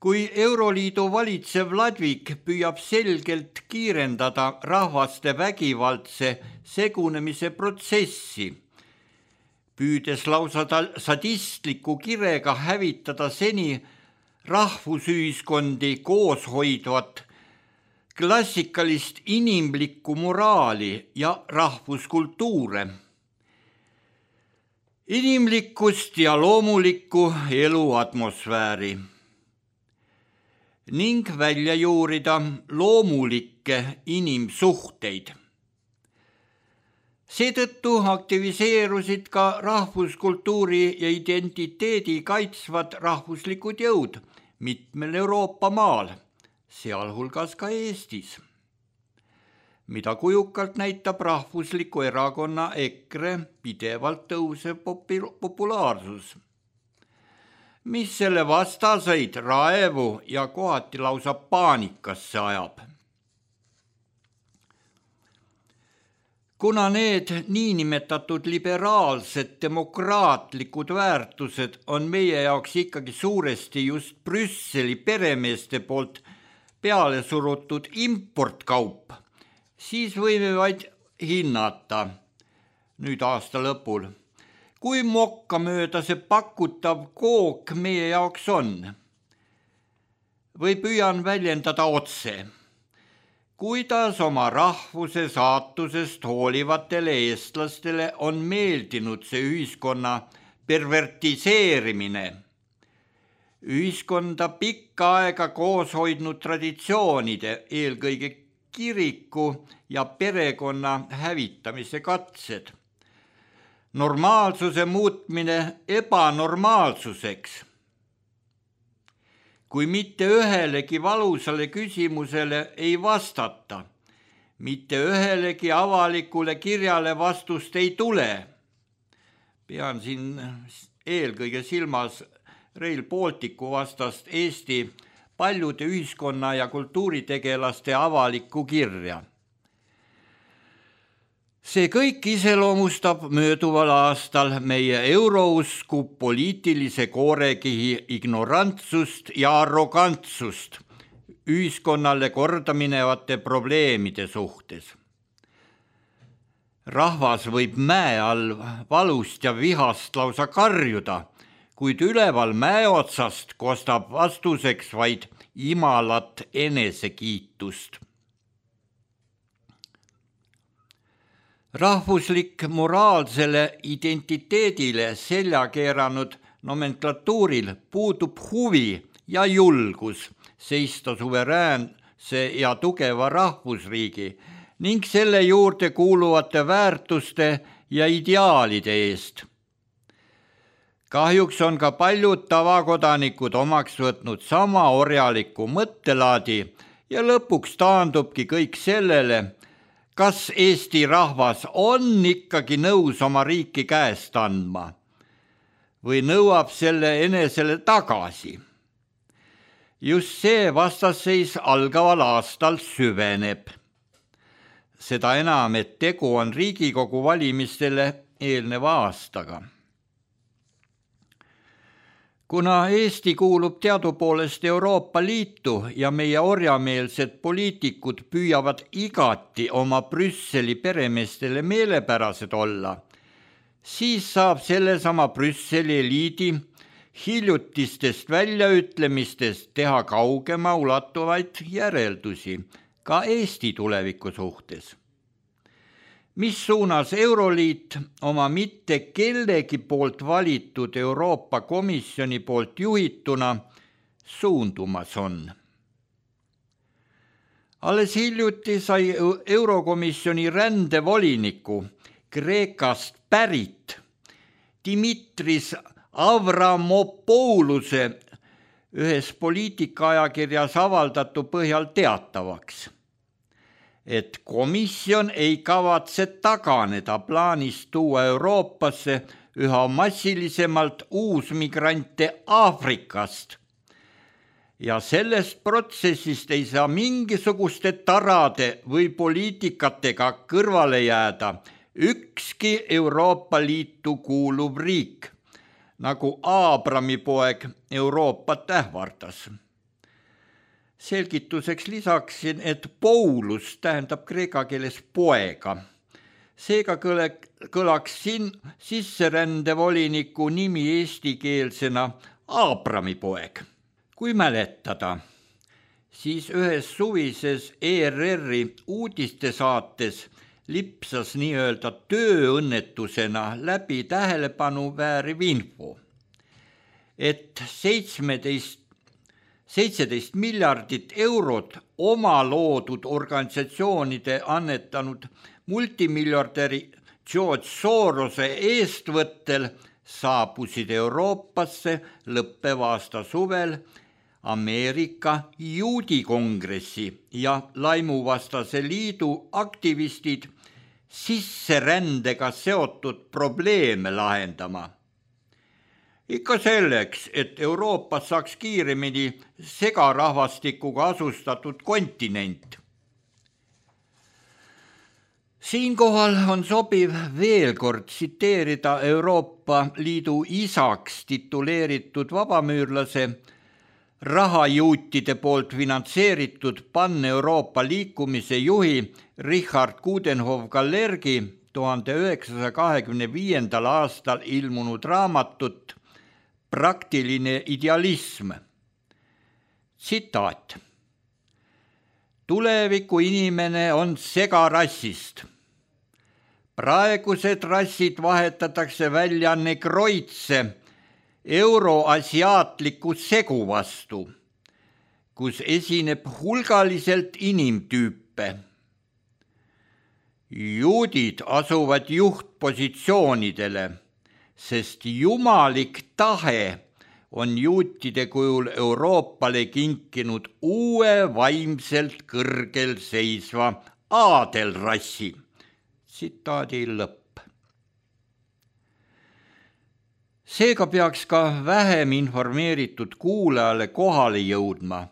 Kui Euroliidu valitsev ladvik püüab selgelt kiirendada rahvaste vägivaldse segunemise protsessi, püüdes lausa sadistliku kirega hävitada seni rahvusühiskondi koos hoidvat klassikalist inimlikku moraali ja rahvuskultuure, inimlikkust ja loomulikku eluatmosfääri ning välja juurida loomulikke inimsuhteid. Seetõttu aktiviseerusid ka rahvuskultuuri ja identiteedi kaitsvad rahvuslikud jõud mitmel Euroopa maal, sealhulgas ka Eestis, mida kujukalt näitab rahvusliku erakonna EKRE pidevalt tõusev populaarsus, mis selle vastaseid raevu ja kohati lausa paanikasse ajab. Kuna need niinimetatud liberaalsed demokraatlikud väärtused on meie jaoks ikkagi suuresti just Brüsseli peremeeste poolt peale surutud importkaup, siis võime vaid hinnata nüüd aasta lõpul, kui mokkamööda see pakutav kook meie jaoks on. Või püüan väljendada otse, kuidas oma rahvuse saatusest hoolivatele eestlastele on meeldinud see ühiskonna pervertiseerimine, ühiskonda pikka aega koos hoidnud traditsioonide, eelkõige kiriku ja perekonna hävitamise katsed, normaalsuse muutmine ebanormaalsuseks. Kui mitte ühelegi valusale küsimusele ei vastata, mitte ühelegi avalikule kirjale vastust ei tule, pean siin eelkõige silmas Rail Balticu vastast Eesti paljude ühiskonna- ja kultuuritegelaste avalikku kirja. See kõik iseloomustab mööduval aastal meie eurousku poliitilise koorekihi ignorantsust ja arrogantsust ühiskonnale kordaminevate probleemide suhtes. Rahvas võib mäe all valust ja vihast lausa karjuda, kuid üleval mäe otsast kostab vastuseks vaid imalat enesekiitust. Rahvuslik moraalsele identiteedile selja keeranud nomenklatuuril puudub huvi ja julgus seista suveräänse ja tugeva rahvusriigi ning selle juurde kuuluvate väärtuste ja ideaalide eest. Kahjuks on ka paljud tavakodanikud omaks võtnud sama orjaliku mõttelaadi ja lõpuks taandubki kõik sellele, kas Eesti rahvas on ikkagi nõus oma riiki käest andma või nõuab selle enesele tagasi. Just see vastasseis algaval aastal süveneb. Seda enam, et tegu on Riigikogu valimistele eelneva aastaga. Kuna Eesti kuulub teadupoolest Euroopa Liitu ja meie orjameelsed poliitikud püüavad igati oma Brüsseli peremeestele meelepärased olla, siis saab sellesama Brüsseli eliidi hiljutistest väljaütlemistest teha kaugema ulatuvaid järeldusi ka Eesti tuleviku suhtes. Mis suunas Euroliit oma mitte kellegi poolt valitud Euroopa Komisjoni poolt juhituna suundumas on. Alles hiljuti sai Eurokomisjoni rändevoliniku Kreekast pärit Dimitris Avramopouluse ühes poliitikaajakirjas avaldatu põhjal teatavaks, et komisjon ei kavatse taganeda plaanist tuua Euroopasse üha massilisemalt uusmigrante Aafrikast ja sellest protsessist ei saa mingisuguste tarade või poliitikatega kõrvale jääda ükski Euroopa Liitu kuuluv riik, nagu Aabrami poeg Euroopat ähvardas. Selgituseks lisaksin, et Paulus tähendab kreeka keeles poega. Seega kõlaks siin sisserändevoliniku nimi eestikeelsena Aabrami poeg. Kui mäletada, siis ühes suvises E R R-i uudistesaates lipsas nii-öelda tööõnnetusena läbi tähelepanu vääriv info, et seitsmeteist seitseteist miljardit eurot oma loodud organisatsioonide annetanud multimiljardäri George Sorose eestvõttel saabusid Euroopasse lõppeva aasta suvel Ameerika juudikongressi ja laimuvastase liidu aktivistid sisserändega seotud probleeme lahendama. Ikka selleks, et Euroopas saaks kiiremini segarahvastikuga asustatud kontinent. Siinkohal on sobiv veel kord tsiteerida Euroopa Liidu isaks tituleeritud vabamüürlase rahajuutide poolt finantseeritud Pan-Euroopa liikumise juhi Richard Coudenhove-Gallergi tuhande üheksasaja kahekümne viiendal aastal ilmunud raamatut Praktiline idealism. Tsitaat. Tuleviku inimene on segarassist. Praegused rassid vahetatakse välja negroidse euroasiaatliku segu vastu, kus esineb hulgaliselt inimtüüpe. Juudid asuvad juhtpositsioonidele, sest jumalik tahe on juutide kujul Euroopale kinkinud uue vaimselt kõrgel seisva aadelrassi. Tsitaadi lõpp. Seega peaks ka vähem informeeritud kuulajale kohale jõudma,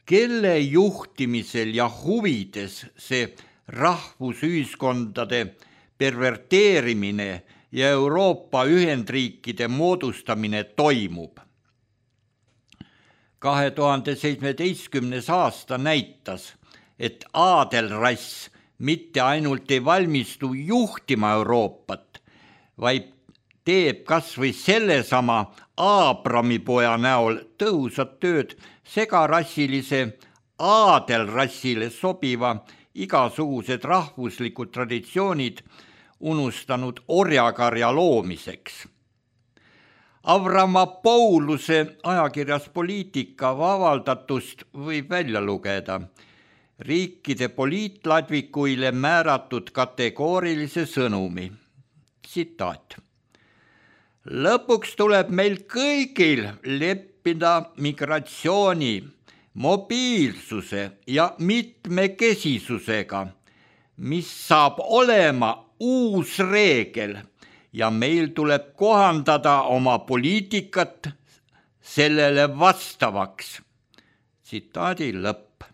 kelle juhtimisel ja huvides see rahvusühiskondade perverteerimine ja Euroopa Ühendriikide moodustamine toimub. kahe tuhande seitsmeteistkümnes aasta näitas, et aadelrass mitte ainult ei valmistu juhtima Euroopat, vaid teeb kas või sellesama Aabrami poja näol tõhusat tööd segarassilise aadelrassile sobiva igasugused rahvuslikud traditsioonid unustanud orjakarja loomiseks. Avramopouluse ajakirjas Poliitika avaldatust võib välja lugeda riikide poliitladvikuile määratud kategoorilise sõnumi. Tsitaat. Lõpuks tuleb meil kõigil leppida migratsiooni, mobiilsuse ja mitmekesisusega, mis saab olema uus reegel ja meil tuleb kohandada oma poliitikat sellele vastavaks. Tsitaadi lõpp.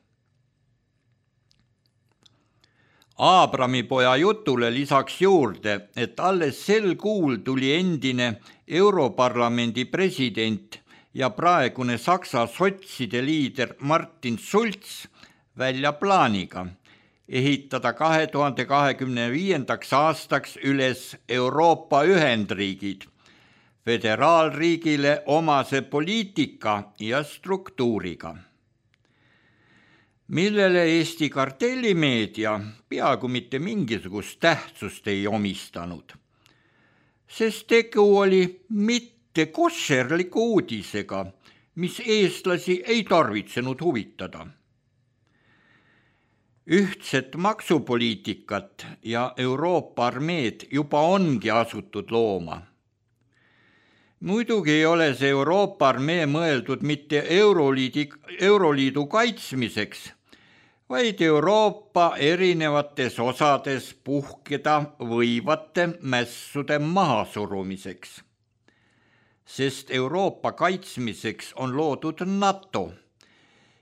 Aabrami poja jutule lisaks juurde, et alles sel kuul tuli endine Europarlamendi president ja praegune Saksa sotside liider Martin Schulz välja plaaniga ehitada kahe tuhande kahekümne viiendaks aastaks üles Euroopa Ühendriigid, föderaalriigile omase poliitika ja struktuuriga, millele Eesti kartellimeedia peaaegu mitte mingisugust tähtsust ei omistanud, sest tegu oli mitte koššerliku uudisega, mis eestlasi ei tarvitsenud huvitada. Ühtset maksupoliitikat ja Euroopa armeed juba ongi asutud looma. Muidugi ei ole see Euroopa armee mõeldud mitte Euroliidi, Euroliidu kaitsmiseks, vaid Euroopa erinevates osades puhkeda võivate mässude mahasurumiseks. Sest Euroopa kaitsmiseks on loodud NATO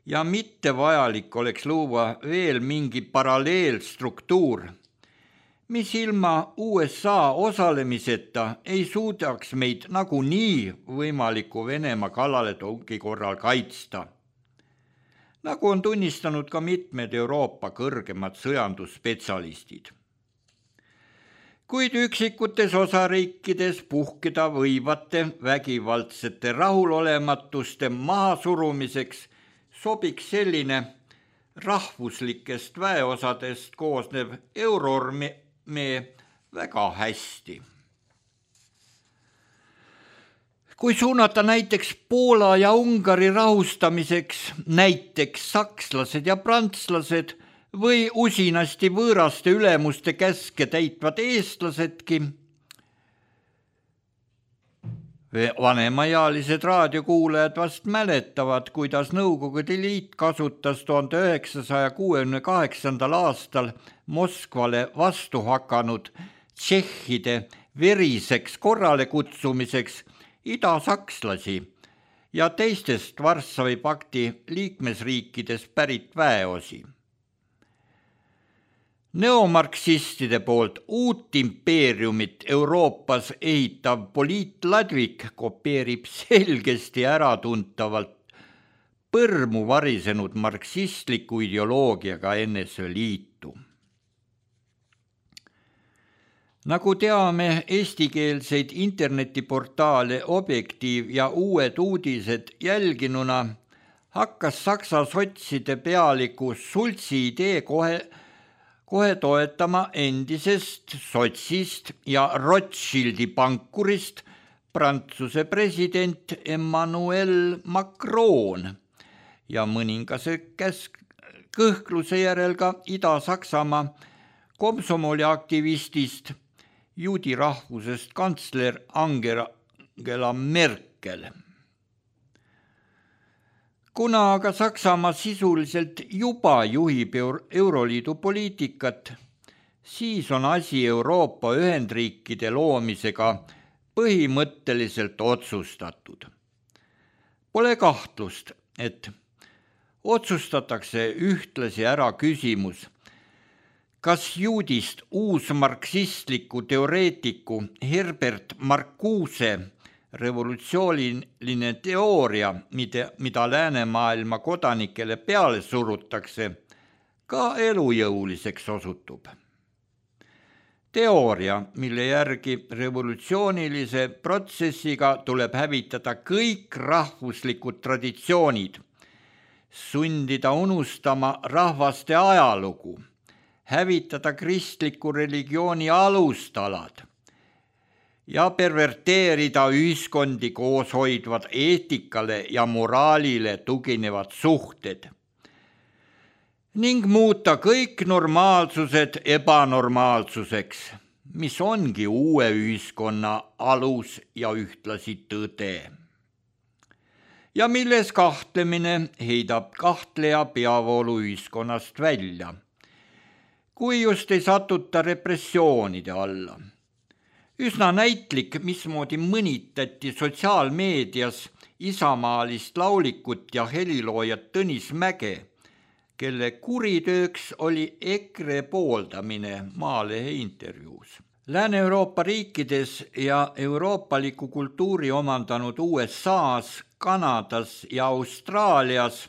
ja mitte vajalik oleks luua veel mingi paralleelstruktuur, mis ilma U S A osalemiseta ei suudaks meid nagunii võimaliku Venemaa kallaletungi korral kaitsta, nagu on tunnistanud ka mitmed Euroopa kõrgemad sõjandusspetsialistid. Kuid üksikutes osariikides puhkeda võivate vägivaldsete rahulolematuste mahasurumiseks sobiks selline rahvuslikest väeosadest koosnev euroarmee väga hästi. Kui suunata näiteks Poola ja Ungari rahustamiseks näiteks sakslased ja prantslased või usinasti võõraste ülemuste käske täitvad eestlasedki, vanemaealised raadiokuulajad vast mäletavad, kuidas Nõukogude Liit kasutas tuhande üheksasaja kuuekümne kaheksandal aastal Moskvale vastu hakanud tšehhide veriseks korrale kutsumiseks idasakslasi ja teistest Varssavi pakti liikmesriikides pärit väeosi. Neomarksistide poolt uut impeeriumit Euroopas ehitav poliitladvik kopeerib selgesti äratuntavalt põrmu varisenud marksistliku ideoloogiaga N S V Liitu. Nagu teame, eestikeelseid internetiportaale Objektiiv ja Uued uudised jälginuna hakkas Saksa sotside pealiku Schulzi idee kohe, kohe toetama endisest sotsist ja Rothschildi pankurist Prantsuse president Emmanuel Macron ja mõningase käsk kõhkluse järel ka Ida-Saksamaa komsomoli aktivistist juudi rahvusest kantsler Angela Merkel. Kuna aga Saksamaa sisuliselt juba juhib Euroliidu poliitikat, siis on asi Euroopa Ühendriikide loomisega põhimõtteliselt otsustatud. Pole kahtlust, et otsustatakse ühtlasi ära küsimus, kas juudist uusmarksistliku teoreetiku Herbert Marcuse revolutsiooniline teooria, mida, mida läänemaailma kodanikele peale surutakse, ka elujõuliseks osutub. Teooria, mille järgi revolutsioonilise protsessiga tuleb hävitada kõik rahvuslikud traditsioonid, sundida unustama rahvaste ajalugu, hävitada kristliku religiooni alustalad ja perverteerida ühiskondi koos hoidvad eetikale ja moraalile tuginevad suhted ning muuta kõik normaalsused ebanormaalsuseks, mis ongi uue ühiskonna alus ja ühtlasi tõde. Ja milles kahtlemine heidab kahtleja peavoolu ühiskonnast välja. kui just ei satuta repressioonide alla. Üsna näitlik, mismoodi mõnitati sotsiaalmeedias isamaalist laulikut ja heliloojat Tõnis Mäge, kelle kuritööks oli EKRE pooldamine Maalehe intervjuus. Lääne-Euroopa riikides ja euroopaliku kultuuri omandanud U S A-s, Kanadas ja Austraalias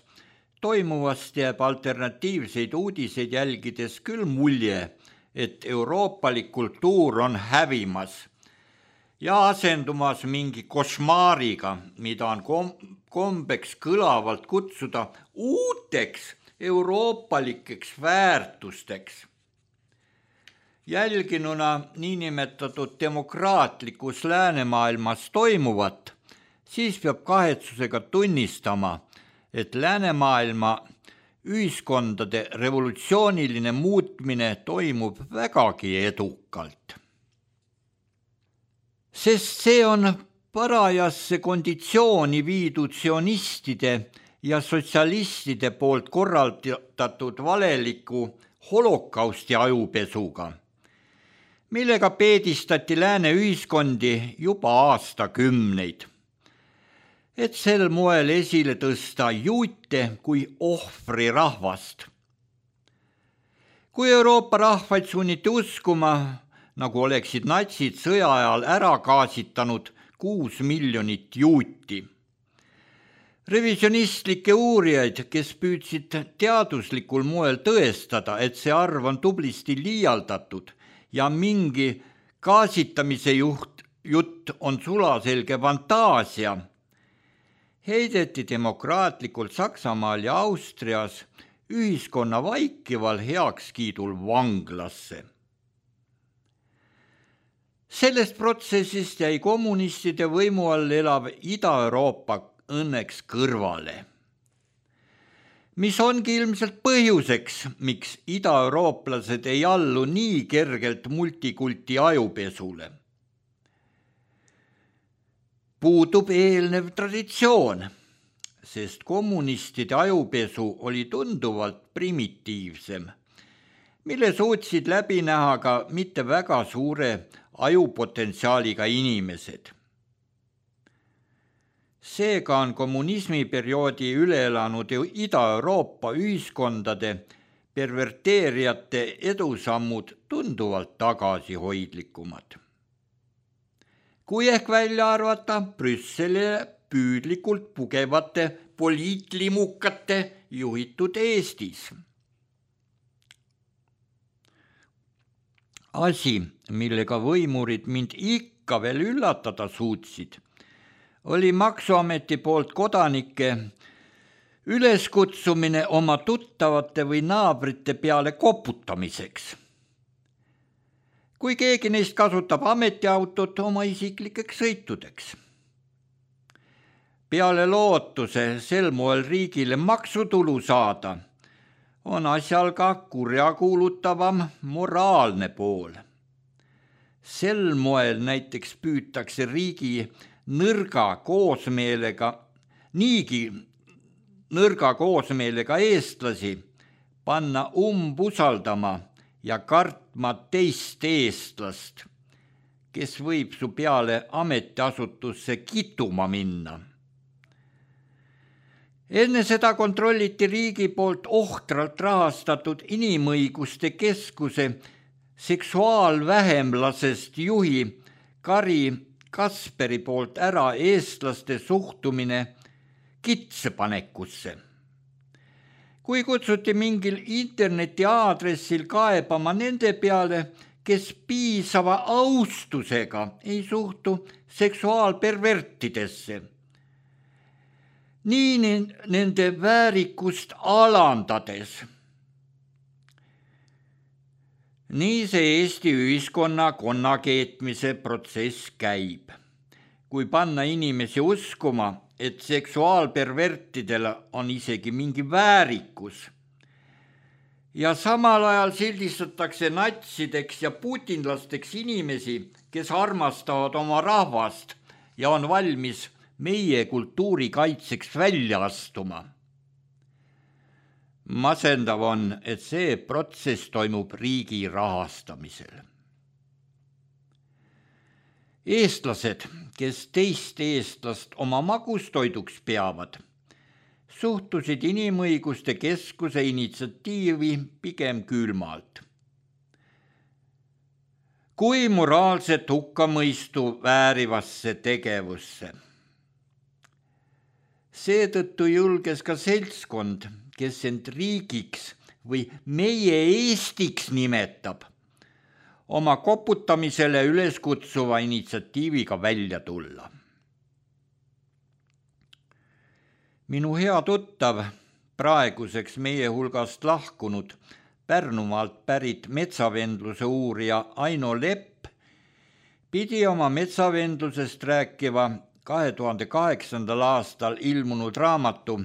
toimuvast jääb alternatiivseid uudiseid jälgides küll mulje, et euroopalik kultuur on hävimas ja asendumas mingi košmaariga, mida on kom- kombeks kõlavalt kutsuda uuteks euroopalikeks väärtusteks. Jälginuna niinimetatud demokraatlikus läänemaailmas toimuvat, siis peab kahetsusega tunnistama, et läänemaailma ühiskondade revolutsiooniline muutmine toimub vägagi edukalt. Sest see on parajasse konditsiooni viidud sionistide ja sotsialistide poolt korraldatud valeliku holokausti ajupesuga, millega peedistati lääne ühiskondi juba aastakümneid, et sel moel esile tõsta juute kui ohvri rahvast. Kui Euroopa rahvaid sunniti uskuma, nagu oleksid natsid sõja ajal ära gaasitanud kuus miljonit juuti. Revisionistlikke uurijaid, kes püüdsid teaduslikul moel tõestada, et see arv on tublisti liialdatud ja mingi gaasitamise juht, jutt on sulaselge fantaasia, heideti demokraatlikult Saksamaal ja Austrias ühiskonna vaikival heakskiidul vanglasse. Sellest protsessist jäi kommunistide võimu all elav Ida-Euroopa õnneks kõrvale, mis ongi ilmselt põhjuseks, miks idaeurooplased ei allu nii kergelt multikulti ajupesule. Puudub eelnev traditsioon, sest kommunistide ajupesu oli tunduvalt primitiivsem, mille suutsid läbi näha ka mitte väga suure ajupotentsiaaliga inimesed. Seega on kommunismi perioodi üle elanud Ida-Euroopa ühiskondade perverteerijate edusammud tunduvalt tagasihoidlikumad. Kui ehk välja arvata Brüsselile püüdlikult pugevate poliitlimukate juhitud Eestis. Asi, millega võimurid mind ikka veel üllatada suutsid, oli Maksuameti poolt kodanike üleskutsumine oma tuttavate või naabrite peale koputamiseks. Kui keegi neist kasutab ametiautot oma isiklikeks sõitudeks. Peale lootuse sel moel riigile maksutulu saada, on asjal ka kurjakuulutavam moraalne pool. Sel moel näiteks püütakse riigi nõrga koosmeelega, niigi nõrga koosmeelega eestlasi panna umbusaldama ja kartma teist eestlast, kes võib su peale ametiasutusse kituma minna. Enne seda kontrolliti riigi poolt ohtralt rahastatud inimõiguste keskuse seksuaalvähemlasest juhi Kari Kasperi poolt ära eestlaste suhtumine kitsepanekusse. Kui kutsuti mingil interneti aadressil kaebama nende peale, kes piisava austusega ei suhtu seksuaalpervertidesse, nii nende väärikust alandades. Nii see Eesti ühiskonna konnakeetmise protsess käib. Kui panna inimesi uskuma, et seksuaalpervertidel on isegi mingi väärikus ja samal ajal sildistatakse natsideks ja putinlasteks inimesi, kes armastavad oma rahvast ja on valmis meie kultuuri kaitseks välja astuma. Masendav on, et see protsess toimub riigi rahastamisel. Eestlased, kes teist eestlast oma magustoiduks peavad, suhtusid Inimõiguste Keskuse initsiatiivi pigem külmalt. Kui moraalset hukkamõistu väärivasse tegevusse. Seetõttu julges ka seltskond, kes end riigiks või meie Eestiks nimetab, oma koputamisele üles kutsuva initsiatiiviga välja tulla. Minu hea tuttav, praeguseks meie hulgast lahkunud, Pärnumaalt pärit metsavendluse uurija Aino Lepp pidi oma metsavendlusest rääkiva kahe tuhande kaheksandal aastal ilmunud raamatu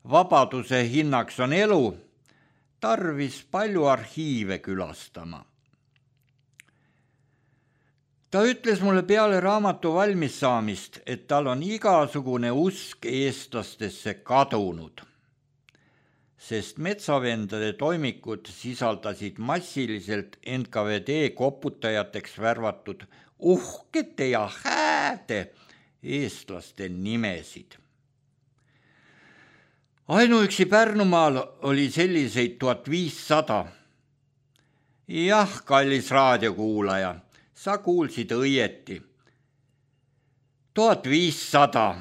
Vabaduse hinnaks on elu tarvis palju arhiive külastama. Ta ütles mulle peale raamatu valmis saamist, et tal on igasugune usk eestlastesse kadunud, sest metsavendade toimikud sisaldasid massiliselt N K V D koputajateks värvatud uhkete ja hääde eestlaste nimesid. Ainuüksi Pärnumaal oli selliseid tuhat viissada. Jah, kallis raadiokuulaja, sa kuulsid õieti. tuhat viissada.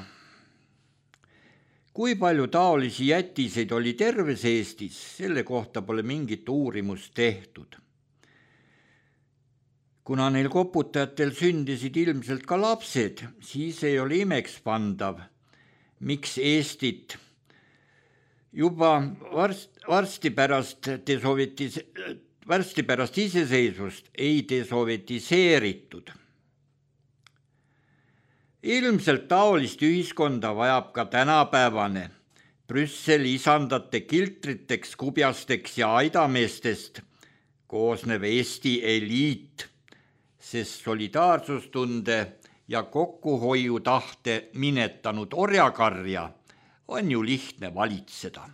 Kui palju taolisi jätiseid oli terves Eestis, selle kohta pole mingit uurimust tehtud. Kuna neil koputajatel sündisid ilmselt ka lapsed, siis ei ole imeks pandav, miks Eestit juba varst, varsti, pärast desovetis, varsti pärast iseseisvust ei desovetiseeritud. Ilmselt taolist ühiskonda vajab ka tänapäevane Brüsseli isandate kiltriteks, kubjasteks ja aidameestest koosnev Eesti eliit, sest solidaarsustunde ja kokkuhoiutahte minetanud orjakarja on ju lihtne valitseda.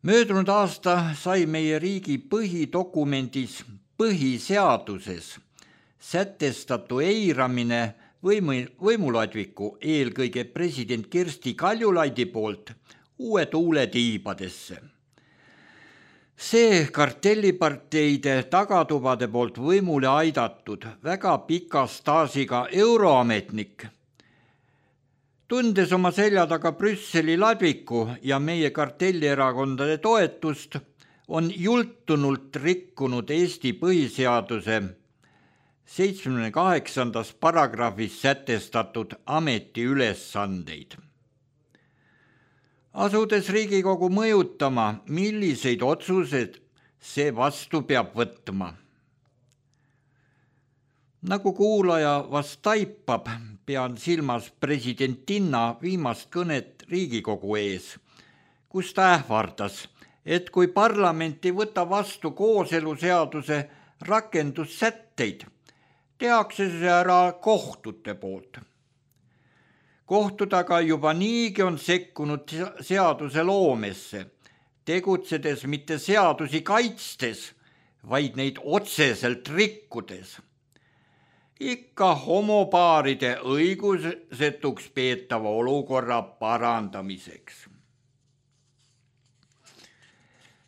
Möödunud aasta sai meie riigi põhidokumendis, põhiseaduses sätestatu eiramine võimu, võimuladviku, eelkõige president Kersti Kaljulaidi poolt uue tuule tiibadesse. See kartelliparteide tagatubade poolt võimule aidatud väga pika staažiga euroametnik, tundes oma selja taga Brüsseli ladviku ja meie kartellierakondade toetust, on jultunult rikkunud Eesti põhiseaduse seitsmekümne kaheksandas paragrahvis sätestatud ametiülesandeid. Asudes Riigikogu mõjutama, milliseid otsused see vastu peab võtma. Nagu kuulaja vast taipab, pean silmas presidentinna viimast kõnet Riigikogu ees, kus ta ähvardas, et kui parlament ei võta vastu kooseluseaduse rakendussätteid, tehakse see ära kohtute poolt. Kohtud aga juba niigi on sekkunud seaduse loomesse, tegutsedes mitte seadusi kaitstes, vaid neid otseselt rikkudes. Ikka homopaaride õigusetuks peetava olukorra parandamiseks.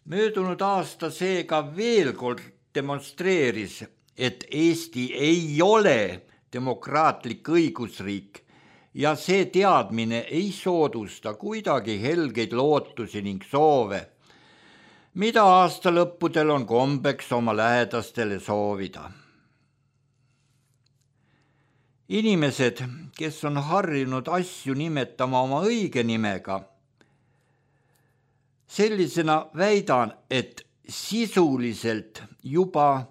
Möödunud aasta seega veel kord demonstreeris, et Eesti ei ole demokraatlik õigusriik ja see teadmine ei soodusta kuidagi helgeid lootusi ning soove, mida aastalõppudel on kombeks oma lähedastele soovida. Inimesed, kes on harjunud asju nimetama oma õige nimega, sellisena väidan, et sisuliselt juba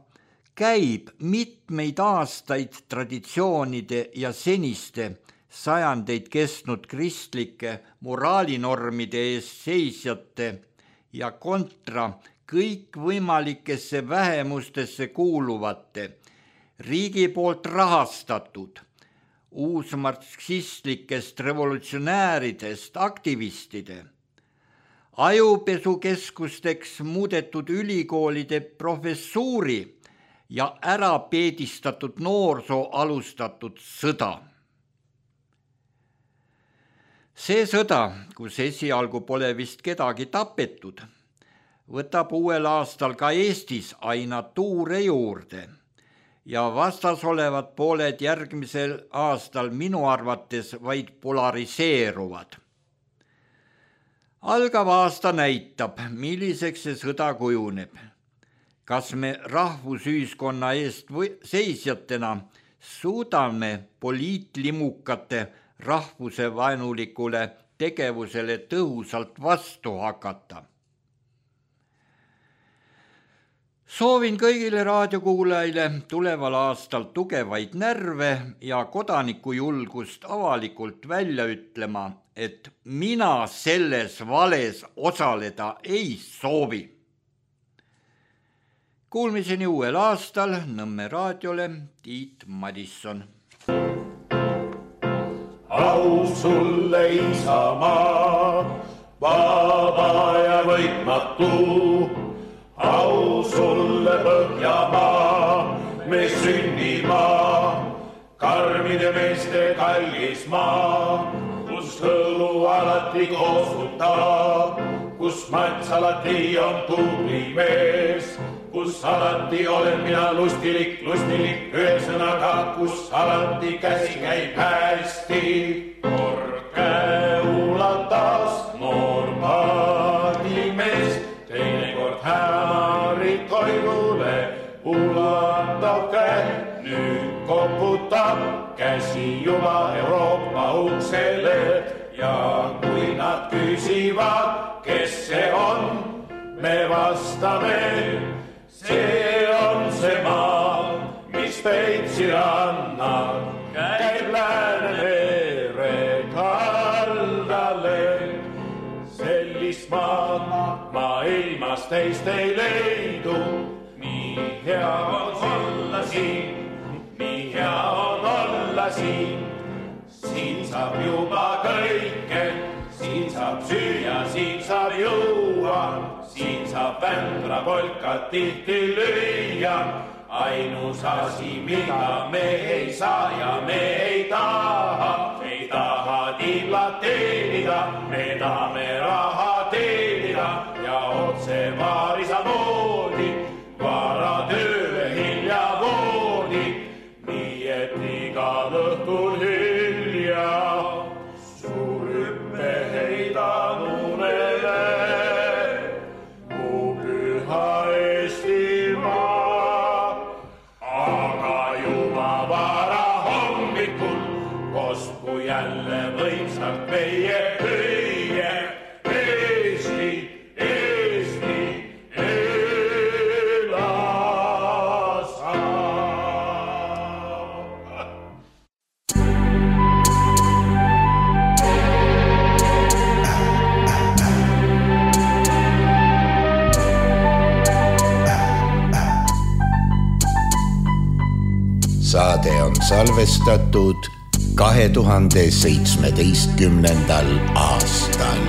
käib mitmeid aastaid traditsioonide ja seniste sajandeid kestnud kristlike moraalinormide ees seisjate ja kontra kõikvõimalikesse vähemustesse kuuluvate riigi poolt rahastatud, uusmarksistlikest revolutsionääridest aktivistide, ajupesukeskusteks muudetud ülikoolide professuuri ja ära peedistatud noorsoo alustatud sõda. See sõda, kus esialgu pole vist kedagi tapetud, võtab uuel aastal ka Eestis aina tuure juurde ja vastas olevad pooled järgmisel aastal minu arvates vaid polariseeruvad. Algav aasta näitab, milliseks see sõda kujuneb. Kas me rahvusühiskonna eest seisjatena suudame poliitlimukate rahvuse vaenulikule tegevusele tõhusalt vastu hakata? Soovin kõigile raadiokuulajaile tuleval aastal tugevaid närve ja kodanikujulgust avalikult välja ütlema, et mina selles vales osaleda ei soovi. Kuulmiseni uuel aastal Nõmme raadiole Tiit Madisson. Au sulle Isamaa, vaba ja võitmatu. Au sulle Põhjamaa, me sünnimaa, karmide meeste kallis maa, kus hõlu alati koosutab, kus mats alati on tubli mees, kus alati olen mina lustilik, lustilik, ühesõnaga, kus alati käsi käib hästi. Kord käe ulatas noor paadimees, teinekord hämarit koidule ulatab käe, nüüd koputab käsi juba Euroopa uksele ja kui nad küsivad, kes see on, me vastame, see on see maa, mis Peipsi rannal käib Läänemere kaldale. Sellist maad maailmas teist ei leidu, nii hea on olla siin, nii hea on olla siin. Siin saab juba kõike, siin saab süüa, siin saab juua, siin saab vändra polkat tihti lüüa. Ainus asi, mida me ei saa ja me ei taha, ei taha tiiblat teenida, me tahame raha teenida ja otse vaarisa moodi, vara tööle hilja voodi, nii et igal õhtul hilja suur hüppe heidan unele, mu püha Eestimaa. Kosku jälle võimsalt meie hüüe, Eesti, Eesti, ela saab. Saade on salvestatud kahe tuhande seitsmeteistkümnendal aastal.